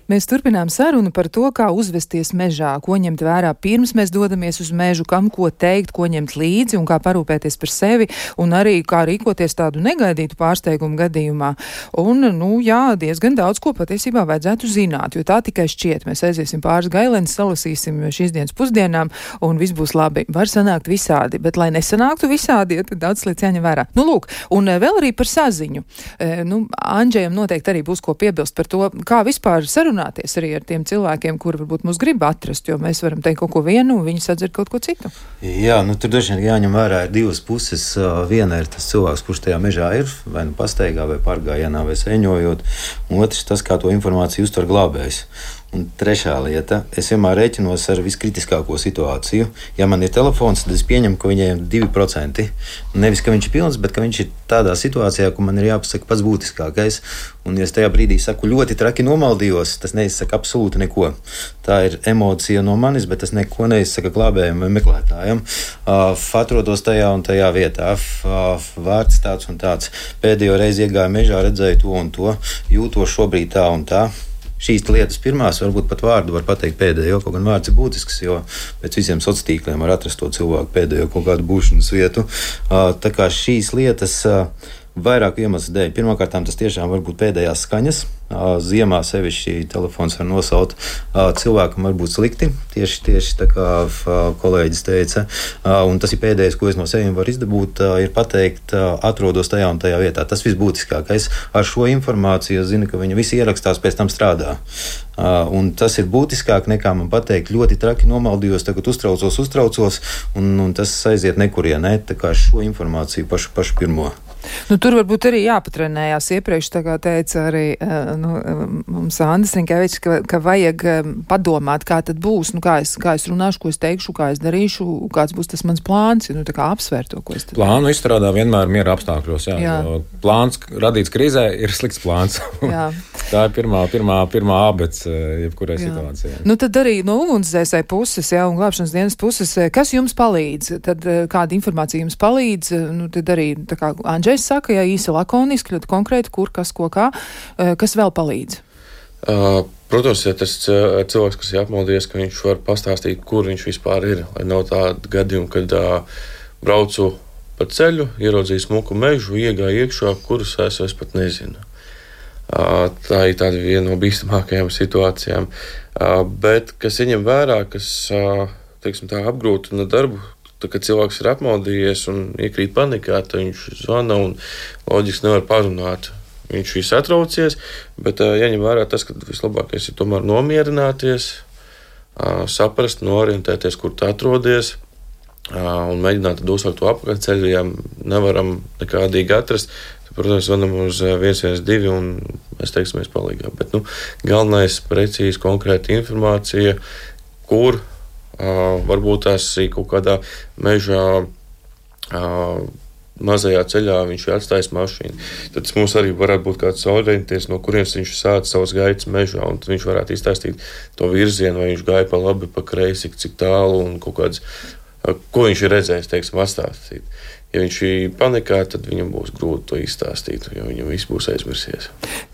Mēs turpinām sarunu par to, kā uzvesties mežā, ko ņemt vērā pirms mēs dodamies uz mežu, kam ko teikt, ko ņemt līdzi un kā parūpēties par sevi, un arī kā rīkoties tādu negaidītu pārsteigumu gadījumā. Un, nu, jā, diezgan daudz ko patiesībā vajadzētu zināt, jo tā tikai šķiet. Mēs aiziesim pāris gailenes, salasīsim šīs dienas pusdienām, un viss būs labi. Var sanākt visādi, bet lai nesanāktu visādi, ja, tad daudz lietas jāņem vērā. Nu, lūk, un vēl arī par saziņu. E, nu, Andžejam noteikti arī būs ko piebilst par to, kā vispār sarunāt runāties arī ar tiem cilvēkiem, kuri varbūt mūs grib atrast, jo mēs varam teikt kaut ko vienu, un viņi sadzird kaut ko citu. Jā, nu tur dažiem jāņem vērā ir divas puses. Viena ir tas cilvēks, kurš tajā mežā ir, vai nu pastaigā, vai pārgājienā, vai sēņojot, un otrs tas, kā to informāciju uztver glābējs. Un trešā lieta, es vienmēr rēķinos ar viskritiskāko situāciju. Ja man ir telefons, tad es pieņemu, ka viņiem ir divi procenti. Nevis, ka viņš ir pilns, bet ka viņš ir tādā situācijā, ka man ir jāpasaka pats būtiskākais. Un, ja es tajā brīdī saku ļoti traki nomaldījos, tas neizsaka absolūti neko. Tā ir emocija no manis, bet tas neko neizsaka glābējiem vai meklētājiem. Uh, atrodos tajā un tajā vietā. Uh, vārds tāds un tāds. Pēdējo reizi iegāju mežā, redzēju to un to. Jūtos šobrīd tā un tā. Šīs lietas pirmās, varbūt pat vārdu var pateikt pēdējo, kaut gan vārds ir būtisks, jo pēc visiem sociāliem tīkliem var atrast to cilvēku pēdējo kaut kādu būšanas vietu. Tā kā šīs lietas vairāku iemeslu dēļ. Pirmkārt, tas tiešām var būt pēdējās skaņas. Ziemā sevišķi telefons var nosaukt. Cilvēkam var būt slikti, tieši, tieši tā kā kolēģis teica. Un tas ir pēdējais, ko es no sevis varu izdabūt, ir pateikt, atrodos tajā un tajā vietā. Tas visbūtiskākais. Ar šo informāciju es zinu, ka viņi visi ierakstās, pēc tam strādā. Un tas ir būtiskāk nekā man pateikt, ļoti traki nomaldījos, tagad uztraucos, uztraucos, un, un tas aiziet nekurienē. Tā kā šo informāciju pašu, pašu pirmo. Nu, tur varbūt arī jāpatrenējās iepriekš, tā kā teica arī nu, mums Andris Rinkevičs, ka, ka vajag padomāt, kā tad būs, nu, kā es, kā es runāšu, ko es teikšu, kā es darīšu, kāds būs tas mans plāns, nu, tā kā apsvērt to, ko es tad... Plānu izstrādā vienmēr miera apstākļos, jā. jā. Plāns radīts krīzē ir slikts plāns. Tā ir pirmā, pirmā, pirmā abets jebkurai jā. Situācijai. Nu, tad arī no ugunsdzēsēji puses, jā, un glābšanas dienas puses, kas jums palīdz? Tad kāda informācija jums palīdz? Nu, tad arī, tā kā Andžēs saka, jā, īsi lakoniski, ļoti konkrēti, kur, kas, ko, kā, kas vēl palīdz? Uh, protams, ja tas cilvēks, kas ir apmaldījies, ka viņš var pastāstīt, kur viņš vispār ir, lai nav tāda gadījuma, kad uh, braucu pa ceļu, ieraudzīju smuku mežu, iegāju iekšā, kurus es, es pat nezinu. Uh, tā ir tāda viena no bīstamākajām situācijām. Uh, bet, kas ieņem vērā, kas, uh, teiksim tā, apgrūtina darbu, tad, kad cilvēks ir apmaldījies un iekrīt panikā, tad viņš zvana un loģiski nevar parunāt. Viņš ir satraucies, bet uh, jāņem vērā tas, ka vislabākais ir tomēr nomierināties, uh, saprast, norientēties, kur tu atrodies uh, un mēģināt tad uzsākt to apakaļceļu, ja nevaram nekādīgi atrast. Tad, protams, zvanam uz viens viens divi un mēs teiksimies palīgā. Bet, nu, galvenais precīzi konkrēta informācija, kur Uh, varbūt tās ir kaut kādā mežā, uh, mazajā ceļā viņš ir atstājis mašīnu. Tad mums arī varētu būt kāds orientieris, no kurienes viņš sāca savus gaitas mežā, un tad viņš varētu izstāstīt to virzienu, vai viņš gāja pa labi, pa kreisi, cik tālu, un kaut kāds, uh, ko viņš ir redzējis, teiksim, atstāstīt. Ja viņš ir panikā, tad viņam būs grūti to izstāstīt, jo viņam viss būs aizmirsies.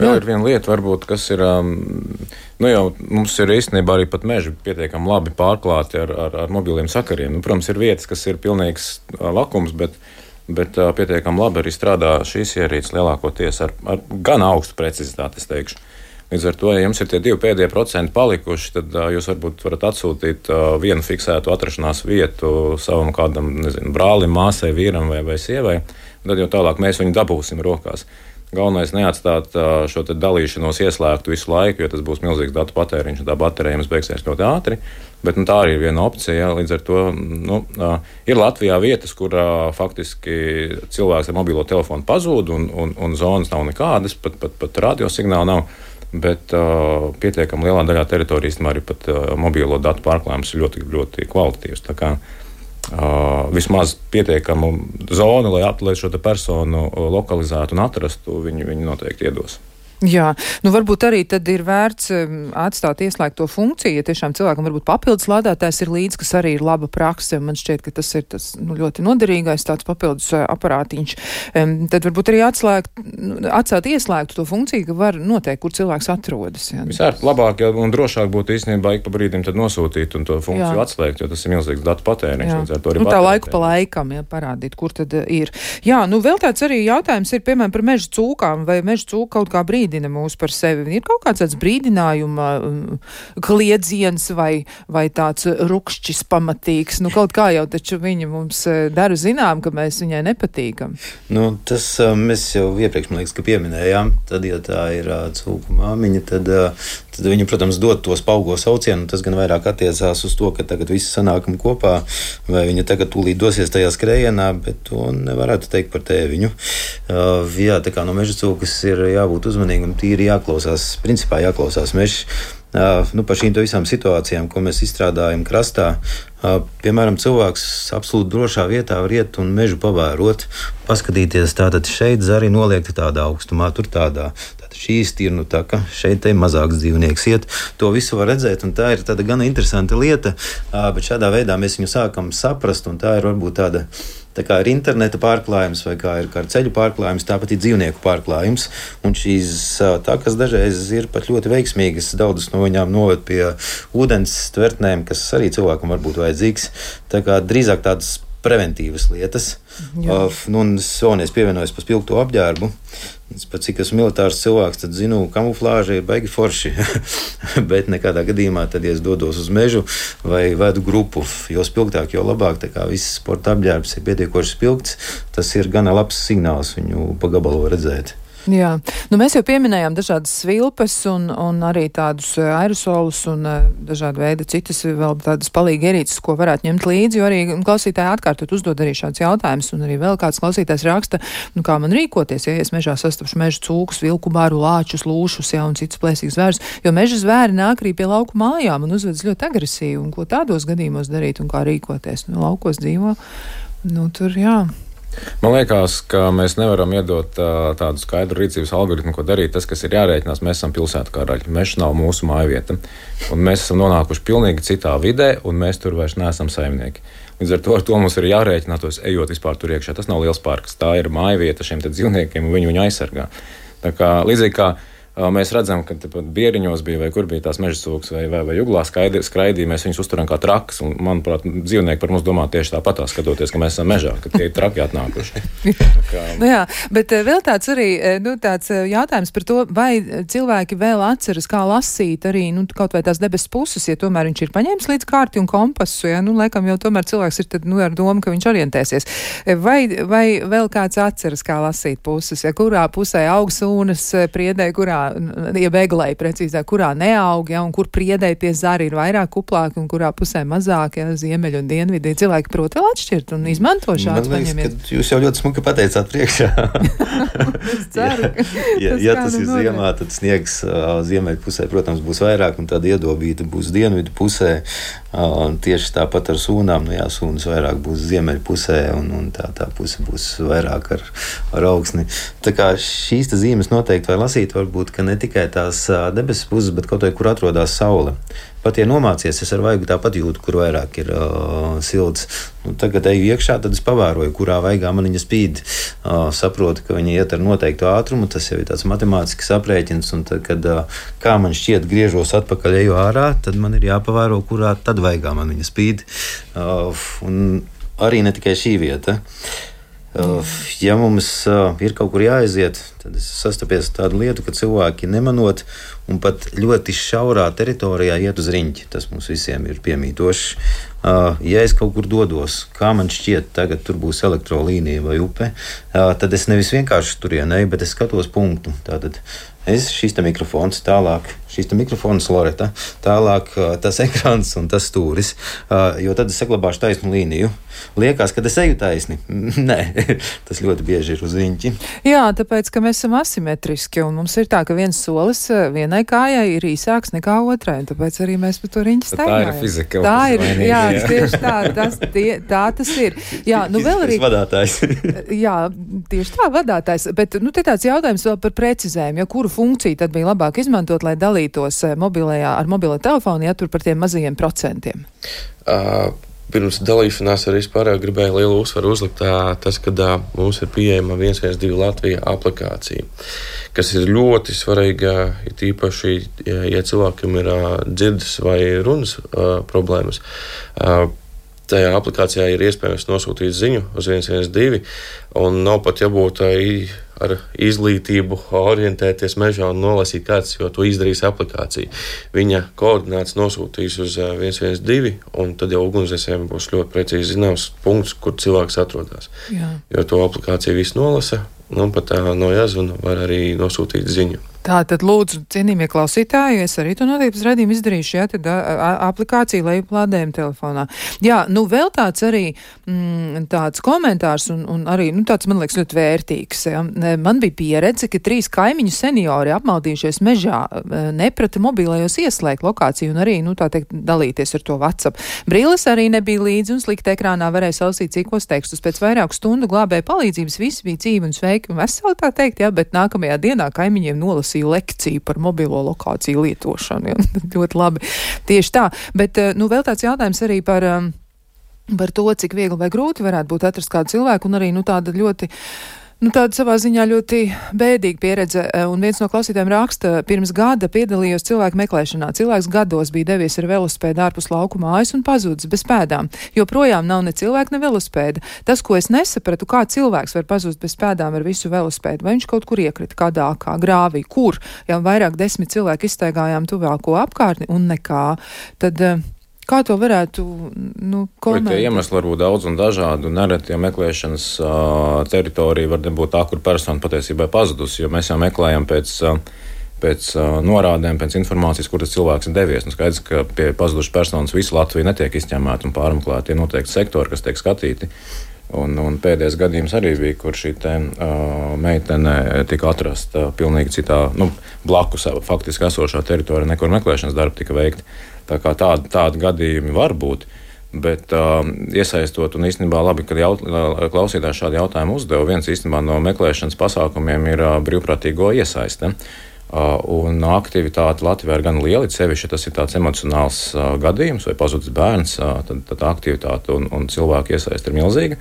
Jā, ir viena lieta, varbūt, kas ir, nu jau mums ir īstenībā arī pat meži pietiekami labi pārklāti ar, ar, ar mobiliem sakariem. Nu, protams, ir vietas, kas ir pilnīgs lakums, bet, bet pietiekami labi arī strādā šīs ierīces lielākoties ar, ar gan augstu precizitāti, es teikšu. Līdz ar to, ja jums ir tie divi pēdējie procenti palikuši, tad uh, jūs varbūt varat atsūtīt uh, vienu fiksētu atrašanās vietu savam kādam, nezinu, brālim, māsai, vīram vai, vai sievai, un tad jau tālāk mēs viņu dabūsim rokās. Galvenais neatstāt uh, šo te dalīšanos ieslēgtu visu laiku, jo tas būs milzīgs datu patēriņš, un tā baterija jums beigsies ļoti ātri, bet nu, tā arī ir viena opcija, jā, līdz ar to nu, uh, ir Latvijā vietas, kur uh, faktiski cilvēks ar mobilo telefonu pazūd, un, un, un zonas nav nekādas, pat, pat, pat radiosignāla nav. Bet uh, pietiekami lielā daļā teritorijas arī pat uh, mobilo datu pārklājums ir ļoti, ļoti kvalitatīvs. Tā kā uh, vismaz pietiekamu zonu, lai, lai šo personu lokalizētu un atrastu, viņi, viņi noteikti iedos. Jā, nu varbūt arī tad ir vērts um, atstāt ieslēgto funkciju, ja tiešām cilvēkam varbūt papildus lādētājs ir līdz, kas arī ir laba prakse, man šķiet, ka tas ir tas nu, ļoti noderīgais tāds papildus uh, aparātiņš. Um, tad varbūt arī atslēgt, atstāt ieslēgtu to funkciju, ka var noteikt, kur cilvēks atrodas. Jā. Visārt labāk un drošāk būtu īstenībā ik pa brīdim tad nosūtīt un to funkciju jā. Atslēgt, jo tas ir milzīgs datu patēriņš. Nu, tā laiku pa laikam, jā, parādīt, kur tad ir. Jā, nu vēl tāds arī jautājums ir, piemēram, par meža cūkām, vai meža cūka kaut kā brīdina mūs par sevi. Ir kaut kāds tāds brīdinājuma kliedziens vai, vai tāds rukšķis pamatīgs. Nu, kaut kā jau taču viņa mums dara zinām, ka mēs viņai nepatīkam. Nu, tas mēs jau iepriekš, man liekas, ka pieminējām. Tad, ja tā ir cūku māmiņa, tad, tad viņa, protams, dod to spaugo saucienu. Tas gan vairāk attiecās uz to, ka tagad visi sanākam kopā, vai viņa tagad tūlīt dosies tajā skrējienā, bet to nevarētu teikt par tēviņu. Uh, jā, tā kā no meža cūkas ir jābūt uzmanīgi un tīri jāklausās, principā jāklausās mežs. Uh, nu, par šīm visām situācijām, ko mēs izstrādājam krastā, uh, piemēram, cilvēks absolūti drošā vietā var iet un mežu pavērot, paskatīties, tātad šeit zari noliekti tādā augstumā, tur tādā. Tātad šī stirnu taka, šeit te mazāks dzīvnieks iet. To visu var redzēt, un tā ir tāda gana interesanta lieta, uh, bet šādā veidā mēs viņu sākam saprast, un tā ir varbūt tāda Tā kā ir interneta pārklājums vai kā ir kā ceļu pārklājums, tāpat ir dzīvnieku pārklājums. Un šīs takas dažreiz ir pat ļoti veiksmīgas. Daudzas no viņām noved pie ūdens tvertnēm, kas arī cilvēkam var būt vajadzīgs. Tā kā drīzāk tādas preventīvas lietas. Uh, nu, un es vēlreiz pievienojos par spilgto apģērbu. Es pat cik esmu militārs cilvēks, tad zinu, kamuflāža ir baigi forši. Bet nekādā gadījumā, tad, ja es dodos uz mežu vai vedu grupu, jo spilgtāk, jo labāk, tā kā viss sporta apģērbs ir pietiekoši spilgts, tas ir gana labs signāls viņu pa gabalu redzēt. Jā, nu mēs jau pieminējām dažādas svilpes un, un arī tādus aerosolus un dažādu veidu citas vēl tādas palīgi ierīces, ko varētu ņemt līdzi, jo arī klausītāji atkārtot uzdod arī šāds jautājums, un arī vēl kāds klausītājs raksta, nu kā man rīkoties, ja es mežā sastapšu meža cūkus, vilku baru, lāčus, lūšus, jā, un citus plēsīgus zvērus, jo meža zvēri nāk arī pie lauku mājām un uzvedas ļoti agresīvi, un ko tādos gadījumos darīt un kā rīkoties. Nu, laukos dzīvo, nu tur, jā. Man liekas, ka mēs nevaram iedot uh, tādu skaidru rīcības algoritmu, ko darīt. Tas, kas ir jārēķinās, mēs esam pilsētu karaļi. Mežs nav mūsu mājvieta. Un mēs esam nonākuši pilnīgi citā vidē, un mēs tur vairs neesam saimnieki. Līdz ar to, ar to mums ir jārēķinātos, ejot vispār tur iekšā. Tas nav liels parks. Tā ir mājvieta šiem dzīvniekiem, un viņi viņu aizsargā. Tā kā līdzīgi kā mēs redzam, ka Bieriņos bija, vai kur bija tās meža cūkas, vai, vai, vai juglā skraidīja, mēs viņus uzturam kā trakas. Un, manuprāt, dzīvnieki par mums domā tieši tāpat, skatoties, ka mēs esam mežā, ka tie ir traki atnākuši. kā... nu jā, bet vēl tāds arī nu, tāds jautājums par to, vai cilvēki vēl atceras, kā lasīt arī nu, kaut vai tās debesu puses, ja tomēr viņš ir paņēmis līdz kārti un kompasu, ja, nu, laikam jau tomēr cilvēks ir tad, nu, ar domu, ka viņš orientēsies. Vai, vai vēl kāds atceras, kā lasīt puses, ja kurā pusē aug sūnas priedē, kurā ja beglēji precīzāk, kurā neaug, ja, un kur priedēji tie zari ir vairāk kuplāki un kurā pusē mazāk, ja, ziemeļi un dienvidi. Cilvēki prot vēl atšķirt un izmanto šāds paņemies. Jūs jau ļoti smuki pateicāt priekšā. Es ceru, ka ja, ja tas ir notiek. Ziemā, tad sniegs uh, ziemeļu pusē, protams, būs vairāk, un tāda iedobīta būs dienvidu pusē. Uh, tieši tāpat ar sūnām, nu jā, sūnas vairāk būs ziemeļu pusē, un, un tā, tā puse būs vairāk ar, ar augsni. Tā kā šīs zīmes noteikti var lasīt, varbūt, ka ne tikai tās debesis puses, bet kaut vai, kur atrodas saule. Pat, ja nomācies, es ar vaigu tāpat jūtu, kur vairāk ir uh, silts. Nu, tagad eju iekšā, tad es pavēroju, kurā vaigā man viņa spīd. Uh, saprotu, ka viņa iet ar noteiktu ātrumu, tas jau ir tāds matemātisks aprēķins, un tad, kad, uh, kā man šķiet, griežos atpakaļ, eju ārā, tad man ir jāpavēro, kurā tad vaigā man viņa spīd. Uh, un arī ne tikai šī vieta. Uh, ja mums uh, ir kaut kur jāaiziet, tad es sastapies tādu lietu, ka cilvēki nemanot un pat ļoti šaurā teritorijā iet uz riņķi. Tas mums visiem ir piemītoši. Uh, ja es kaut kur dodos, kā man šķiet, tagad tur būs elektrolīnija vai upe, uh, tad es nevis vienkārši turien eju, bet es skatos punktu. Tātad es šis te mikrofons, tālāk šis te mikrofons Loreta, tālāk uh, tas ekrāns un tas stūris, uh, jo tad es saglabāšu taisnu līniju. Liekas, ka es eju taisni. Nē, tas ļoti bieži ir uz riņķi. Jā, tāpēc, ka mēs esam asimetriski, un mums ir tā, ka viens solis vienai kājai ir īsāks nekā otrai, un tāpēc arī mēs par to riņķi staigājam. Tā ir fizika. Tā ir, jā, tieši tā, tas, tie, tā tas ir. Jā, nu vēl arī... vadātājs. Jā, tieši tā, vadātājs, bet, nu, te tāds jautājums vēl par precizējumu, ja kuru funkciju tad bija labāk izmantot, lai dalītos mobilajā, ar mobilo telefonu, ja tur par tiem mazajiem procentiem? Uh. Pirms dalīšanās arī pārējā gribēju lielu uzsvaru uzlikt tā, tas, ka tā, mums ir pieejama viens viens divi Latvija aplikācija, kas ir ļoti svarīga, it īpaši, ja, ja cilvēkam ir uh, dzirdes vai runas uh, problēmas. Uh, tajā aplikācijā ir iespējams nosūtīt ziņu uz viens viens divi, un nav pat jābūt uh, ar izglītību orientēties mežā un nolasīt kāds, jo to izdarīs aplikācija. Viņa koordināts nosūtīs uz viens viens divi, un tad jau ugunsdzēsējiem būs ļoti precīzi zināms punkts, kur cilvēks atrodas. Jā. Jo to aplikācija visu nolasa, un pat no jāzvana var arī nosūtīt ziņu. Tā tad lūdzu, cienījamie klausītāji, es arī to notības redzījumu izdarīšu, jā, tad a, a, aplikācija lejuplādējuma telefonā. Jā, nu vēl tāds arī mm, tāds komentārs un, un arī, nu tāds man liekas ļoti vērtīgs. Ja. Man bija pieredze, ka trīs kaimiņu seniori apmaldījušies mežā neprata mobilajos ieslēgt lokāciju un arī, nu tā teikt, dalīties ar to WhatsApp. Brīles arī nebija līdzi un slikti ekrānā varēja salasīt cikos tekstus. Pēc vairāku stundu glābēja palīdzības visi bija dzīvi un sveiki un veseli, tā teikt, jā, bet nākamajā dienā kaimiņiem nolasīja lekciju par mobilo lokāciju lietošanu. Ja? Ļoti labi. Tieši tā. Bet, nu, vēl tāds jautājums arī par, par to, cik viegli vai grūti varētu būt atrast kādu cilvēku, un arī, nu, tāda ļoti Nu, tāda savā ziņā ļoti bēdīga pieredze, un viens no klausītājiem raksta, pirms gada piedalījos cilvēku meklēšanā. Cilvēks gados bija devies ar velospēdu ārpus lauku mājas un pazudis bez pēdām, jo projām nav ne cilvēka, ne velospēda. Tas, ko es nesapratu, kā cilvēks var pazust bez pēdām ar visu velospēdu, vai viņš kaut kur iekrita kādā kā grāvī, kur jau vairāk desmit cilvēki izstaigājām tuvāko apkārtni un nekā, tad Kā to varētu nu, komentēt? Tie iemesli var būt daudz un dažādi, un nereti, ja meklēšanas uh, teritorija var būt tā, kur persona patiesībā ir pazudusi, jo mēs jau meklējam pēc, uh, pēc uh, norādēm, pēc informācijas, kur tas cilvēks ir devies. Nu, skaidrs, ka pie pazudušas personas visu Latviju netiek izņemēti un pārmeklēti. Ir noteikti sektori, kas tiek skatīti. Un, un pēdējais gadījums arī bija, kur šī te, uh, meitene tika atrasta pilnīgi citā, nu, blakus faktiski esošā teritorijā, nekur meklēšanas darbi tika veikti. Tā kā tādi, tādi gadījumi var būt, bet uh, iesaistot, un īstenībā labi, kad jaut, klausītājs šādu jautājumu uzdeva, viens īstenībā no meklēšanas pasākumiem ir uh, brīvprātīgo iesaiste. Uh, un aktivitāte Latvijā ir gan liela, sevišķi, ja tas ir tāds emocionāls uh, gadījums vai pazudis bērns, uh, tad, tad aktivitāte un, un cilvēku iesaiste ir milzīga.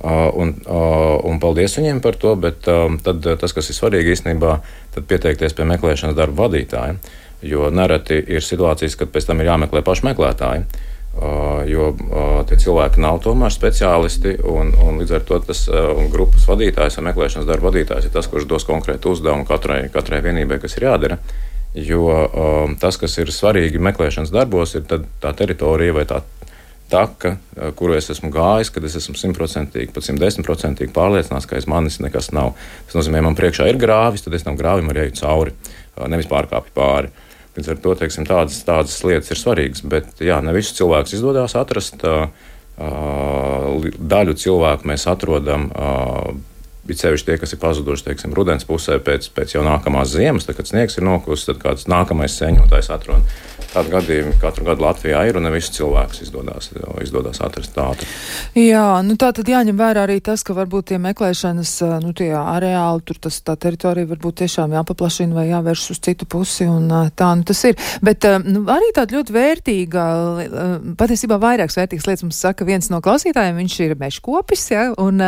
Uh, un, uh, un paldies viņiem par to, bet uh, tad, tas, kas ir svarīgi īstenībā, tad pieteikties pie meklēšanas darba vadītāja, jo nereti ir situācijas, kad pēc tam ir jāmeklē paši meklētāji. Uh, jo uh, tie cilvēki nav tomēr speciālisti, un, un līdz ar to tas uh, grupas vadītājs vai meklēšanas darba vadītājs ir tas, kurš dos konkrētu uzdevumu katrai, katrai vienībai, kas ir jādara. Jo uh, tas, kas ir svarīgi meklēšanas darbos, ir tā teritorija vai tā taka, uh, kuru es esmu gājis, kad es esmu simtprocentīgi, pat simt desmit procentīgi pārliecināts, ka aiz manis nekas nav. Tas nozīmē, man priekšā ir grāvis, tad es tam grāvim arī eju cauri, uh, nevis pārkāpju pāri. Līdz ar to, teiksim, tādas, tādas lietas ir svarīgas, bet jā, ne visus cilvēkus izdodas atrast. Daļu cilvēku mēs atrodam, it sevišķi tie, kas ir pazuduši, teiksim, rudens pusē pēc, pēc jau nākamās ziemas, tad, kad sniegs ir nokusis, tad kāds nākamais sēņotājs atrod. Tādi gadījumi katru gadu Latvijā ir, un ne visus cilvēkus izdodas, izdodas atrast tādu. Jā, nu tā tad jāņem vērā arī tas, ka varbūt tie meklēšanas, nu tie areāli, tur tas tā teritorija varbūt tiešām jāpaplašina vai jāvērš uz citu pusi, un tā, nu tas ir. Bet nu, arī tāda ļoti vērtīga, patiesībā vairākas vērtīgas lietas mums saka viens no klausītājiem, viņš ir mežkopis, ja, un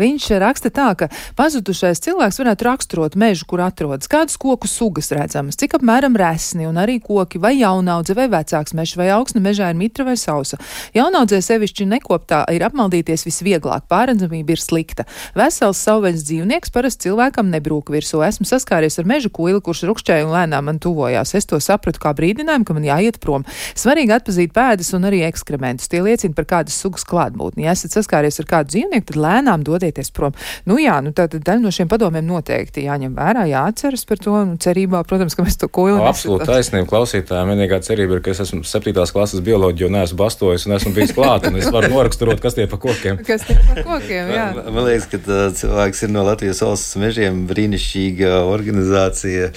viņš raksta tā, ka pazudušais cilvēks varētu raksturot mežu, kur atrodas, kādas koku sugas redzamas, cik apmēram resni un arī koki vai jaunaudze vai vecāks mežs vai augsne mežā ir mitra vai sausa. Jaunaudzē sevišķi nekoptā ir apmaldīties visvieglāk, pārredzamība ir slikta. Vesels savvaļas dzīvnieks parasti cilvēkam nebrūk virsū. Esmu saskāries ar meža kuili, kurš rukšķēja un lēnām man tuvojās. Es to sapratu kā brīdinājumu, ka man jāiet prom. Svarīgi atpazīt pēdas un arī ekskrementus. Tie liecina par kādas sugas klātbūtni. Ja esat saskāries ar kādu dzīvnieku, tad lēnām dodieties prom. Nu jā, nu tā tad daļa no šiem padomiem noteikti jāņem vērā, jāatceras par to, un cerībā, protams, ka mēs to kuili. Absolūti taisnība klausītājiem. Vienīgā cerība ir, ka es esmu septītās klases bioloģiju un neesmu bastojis un esmu bijis klāt, un es varu noraksturot, kas tie pa kokiem. Kas tie pa kokiem, jā. Man, man liekas, ka tā, cilvēks ir no Latvijas valsts mežiem brīnišķīga organizācija,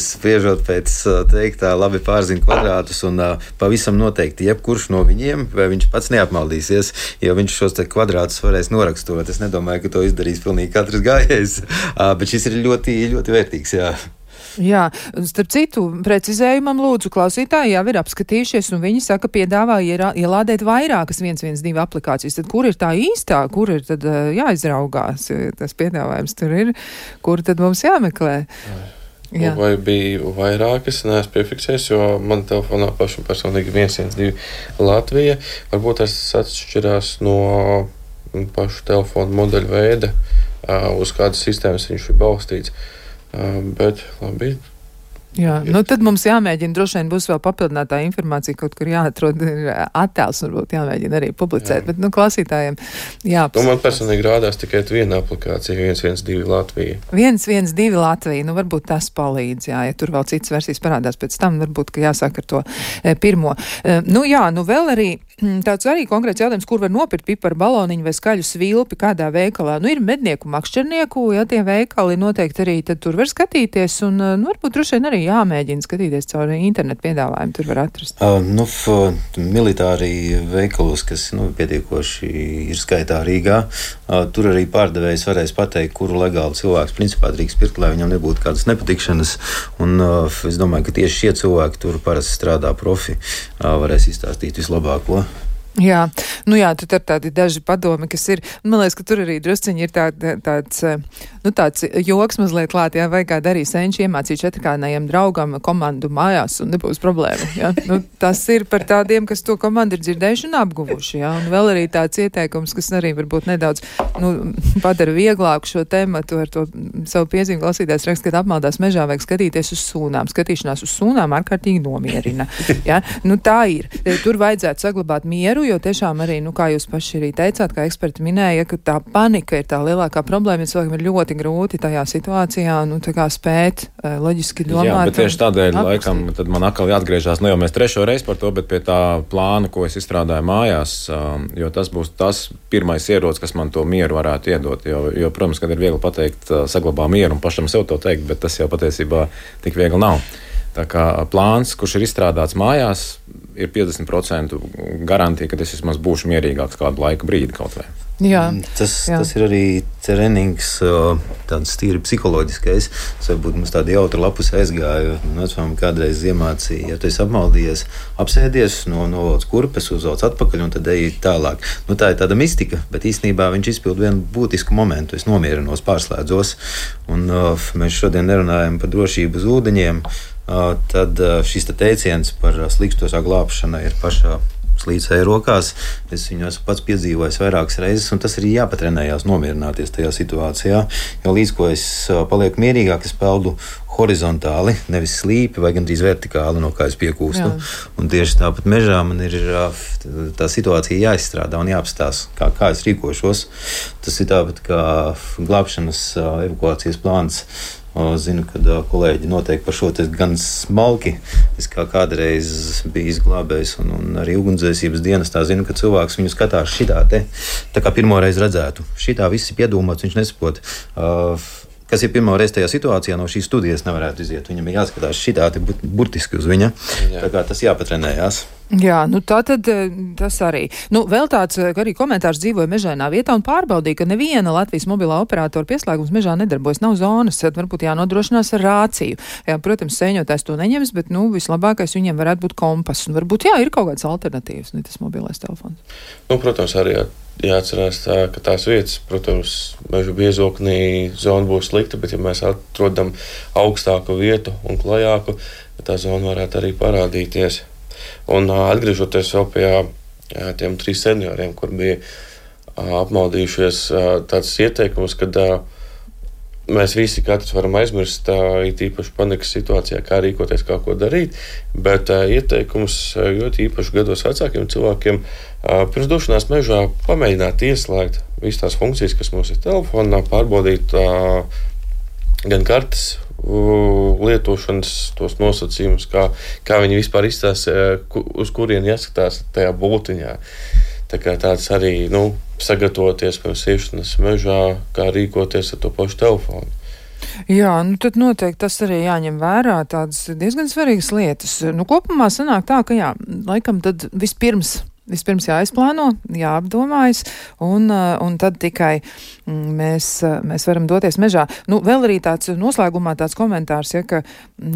spriežot pēc teiktā, labi pārzina kvadrātus, un pavisam noteikti jebkurš no viņiem, vai viņš pats neapmaldīsies, jo viņš šos te kvadrātus varēs noraksturot. Es nedomāju, ka to izdarīs pilnīgi katrs gājējs, bet šis ir ļoti, ļoti vērtīgs, jā. Jā, starp citu, precizējumam lūdzu klausītāji jau ir apskatījušies, un viņi saka, piedāvā ielādēt vairākas viens viens divi aplikācijas. Tad kur ir tā īstā, kur ir tad jāizraugās, tas piedāvājums tur ir, kur tad mums jāmeklē? Jā. Vai bija vairākas, neesmu piefiksējis, jo man telefonā pašam personīgi viens viens divi Latvija. Varbūt tas atšķirās no pašu telefonu modeļu veida, uz kādas sistēmas viņš ir balstīts. Bet labi. Jā, nu tad mums jāmēģina, droši vien būs vēl papildinātā informācija, kaut kur jāatrod attēls, varbūt jāmēģina arī publicēt, jā. Bet, nu, klausītājiem jāpasaka. Nu, man personīgi rādās tikai viena aplikācija, viens viens divi Latvija. viens viens divi Latvija, nu, varbūt tas palīdz, jā, ja tur vēl citas versijas parādās pēc tam, varbūt, ka jāsāk ar to e, pirmo. E, nu, jā, nu, vēl arī tāds arī konkrēts jautājums, kur var nopirkt piparu baloniņu vai skaļu svilpi, kādā veikalā. Nu, ir mednieku, makšķernieku, ja tie veikali noteikti arī tad tur var skatīties, un, nu, varbūt droši vien arī jāmēģina skatīties caur internetu piedāvājumu, tur var atrast. Uh, nu, f, militāri veikalos, kas, nu, pietiekoši ir skaitā Rīgā, uh, tur arī pārdevējs varēs pateikt, kuru legāli cilvēks principā drīkst pirkt, lai viņam nebūtu kādas nepatikšanas, un uh, es domāju, ka tieši šie cilvēki tur parasti strādā profi, uh, varēs izstāstīt vislabāko. Jā, nu jā, tur ir tādi daži padomi, kas ir, man liekas, ka tur arī drusciņi ir tā, tā, tāds, nu tāds joks mazliet klāt, jā, vai kā darīja senči iemācīt četrkānējiem draugam komandu mājās un nebūs problēma, jā. Nu, tas ir par tādiem, kas to komandu ir dzirdējuši un apguvuši, jā, un vēl arī tāds ieteikums, kas arī varbūt nedaudz, nu, padara vieglāku šo tematu ar to savu piezīmu klausītājs rakst, kad apmaldās mežā vajag skatīties uz sūnām. Skatīšanās uz sūnām ārkārtīgi nomierina, jā. Nu, tā ir. Tur vajadzētu saglabāt mieru, jo tiešām arī, nu, kā jūs paši arī teicāt, kā eksperti minēja, ka tā panika ir tā lielākā problēma, jo cilvēkam ir ļoti grūti tajā situācijā, nu, tā kā spēt uh, loģiski domāt. Jā, bet tieši tādēļ, laikam, tad man atkal jāatgriežās, nu jau mēs trešo reizi par to, bet pie tā plāna, ko es izstrādāju mājās, um, jo tas būs tas pirmais ierocis, kas man to mieru varētu iedot, jo, jo protams, kad ir viegli pateikt, uh, saglabā mieru un pašam sev to teikt, bet tas jau patiesībā tik viegli nav. Tā kā plāns, kurš ir izstrādāts mājās, ir piecdesmit procenti garantija, ka es vismaz būšu mierīgāks kādu laika brīdi kaut vai. Jā, tas, jā. tas ir arī trenings, tāds tīri psiholoģiskais. Tas varbūt mums tāda jautra lapus aizgāja. Vecmāma kādreiz iemācīja, ja tu esi apmaldījies, apsēdies, no, novelc kurpes, uzvelc atpakaļ un tad eji tālāk. Nu, tā ir tāda mistika, bet īstenībā viņš izpild vienu būtisku momentu. Es nomierinos, pārslēdzos. Un uh, mēs šodien nerunājam par drošību uz ūdeņiem. Uh, tad uh, šis te teiciens par uh, slikstosā glābšana ir pašā slīdēja rokās. Es viņu esmu pats piedzīvojis vairākas reizes, un tas arī jāpatrenējās nomierināties tajā situācijā. Jo līdz ko es uh, palieku mierīgāk, es peldu horizontāli, nevis slīpi vai gandrīz vertikāli, no kā es piekūstu. Jā. Un tieši tāpat mežā man ir uh, tā situācija jāizstrādā un jāapstās, kā, kā es rīkošos. Tas ir tāpat kā glābšanas uh, evakuācijas plāns. Zinu, ka kolēģi noteikti par šo te gan smalki. Es kā kādreiz biju glābējs un, un arī ugunsdzēsības dienestā zinu, ka cilvēks viņu skatās šitā te, tā kā pirmoreiz redzētu. Šitā viss ir piedomāts, viņš nesaprot. Uh, kas ir pirmo reizi tajā situācijā, no šīs studijas nevarētu iziet. Viņam ir jāskatās šitā te burtiski uz viņa. Jā. Tā kā tas jāpatrenējās. Jā, nu tā tad tas arī. Nu, vēl tāds arī komentārs dzīvoja mežainā vietā un pārbaudīja, ka neviena Latvijas mobilā operatora pieslēgums mežā nedarbojas, nav zonas, tad varbūt jānodrošinās ar rāciju. Jā, protams, sēņotājs to neņems, bet, nu, vislabākais viņiem varētu būt kompass. Un varbūt, jā, ir kaut kāds alternatīvs, ne tas mobilais telefons. Nu, protams, arī jā, jāatcerās tā, ka tās vietas, protams, meža biezoknī zona būs slikta, bet ja mēs atrodam augstāku vietu un klajāku, tā zona varētu arī parādīties. Un atgriežoties vēl pie jā, tiem trīs senioriem, kur bija apmaldījušies tāds ieteikums, kad mēs visi katrs varam aizmirst, it īpaši panikas situācijā, kā rīkoties, kā ko darīt, bet ieteikums ļoti īpaši gados vecākiem cilvēkiem pirms došanās mežā pamēģināt ieslēgt visas tās funkcijas, kas mums ir telefonā, pārbaudīt gan kartes lietošanas tos nosacījumus, kā, kā viņi vispār izstās, uz kurien jāskatās tajā būtiņā. Tā kā tāds arī, nu, sagatavoties pirms iešanas mežā, kā rīkoties ar to pašu telefonu. Jā, nu tad noteikti tas arī jāņem vērā, tādas diezgan svarīgas lietas. Nu, kopumā sanāk tā, ka jā, laikam tad vispirms Vispirms jāizplāno, jāapdomājas, un, un tad tikai mēs, mēs varam doties mežā. Nu, vēl arī tāds noslēgumā tāds komentārs, ja, ka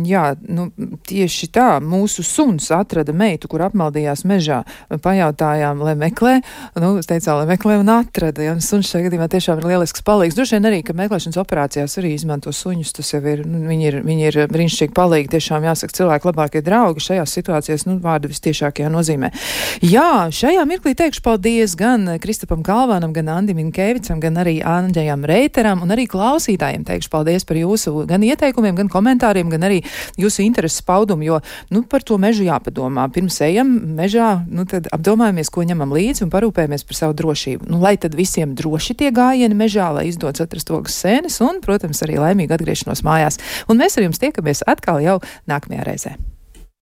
jā, nu, tieši tā, mūsu suns atrada meitu, kur apmaldījās mežā. Pajautājām, lai meklē, nu, es teicām, lai meklē un atrada, ja, un suns šajā gadījumā tiešām ir lielisks palīgs. Droši vien arī, ka meklēšanas operācijās arī izmanto suņus, tas jau ir, nu, viņi ir, viņi ir brīnišķīgi palīgi, tiešām jāsaka cilvēku labākie draugi šajās situācijās, nu, vārdu vistiešākajā nozīmē. Jā, šajā mirklī teikšu paldies gan Kristapam Kalvānam, gan Andim Inkēvicam, gan arī Andžejam Reiteram, un arī klausītājiem teikšu paldies par jūsu gan ieteikumiem, gan komentāriem, gan arī jūsu intereses paudumu, jo, nu, par to mežu jāpadomā. Pirms ejam mežā, nu, tad apdomājamies, ko ņemam līdzi un parūpējamies par savu drošību. Nu, lai tad visiem droši tie gājieni mežā, lai izdodas atrast ogas sēnes un, protams, arī laimīgu atgriešanos mājās. Un mēs ar jums tiekamies atkal jau nākamajā reizē.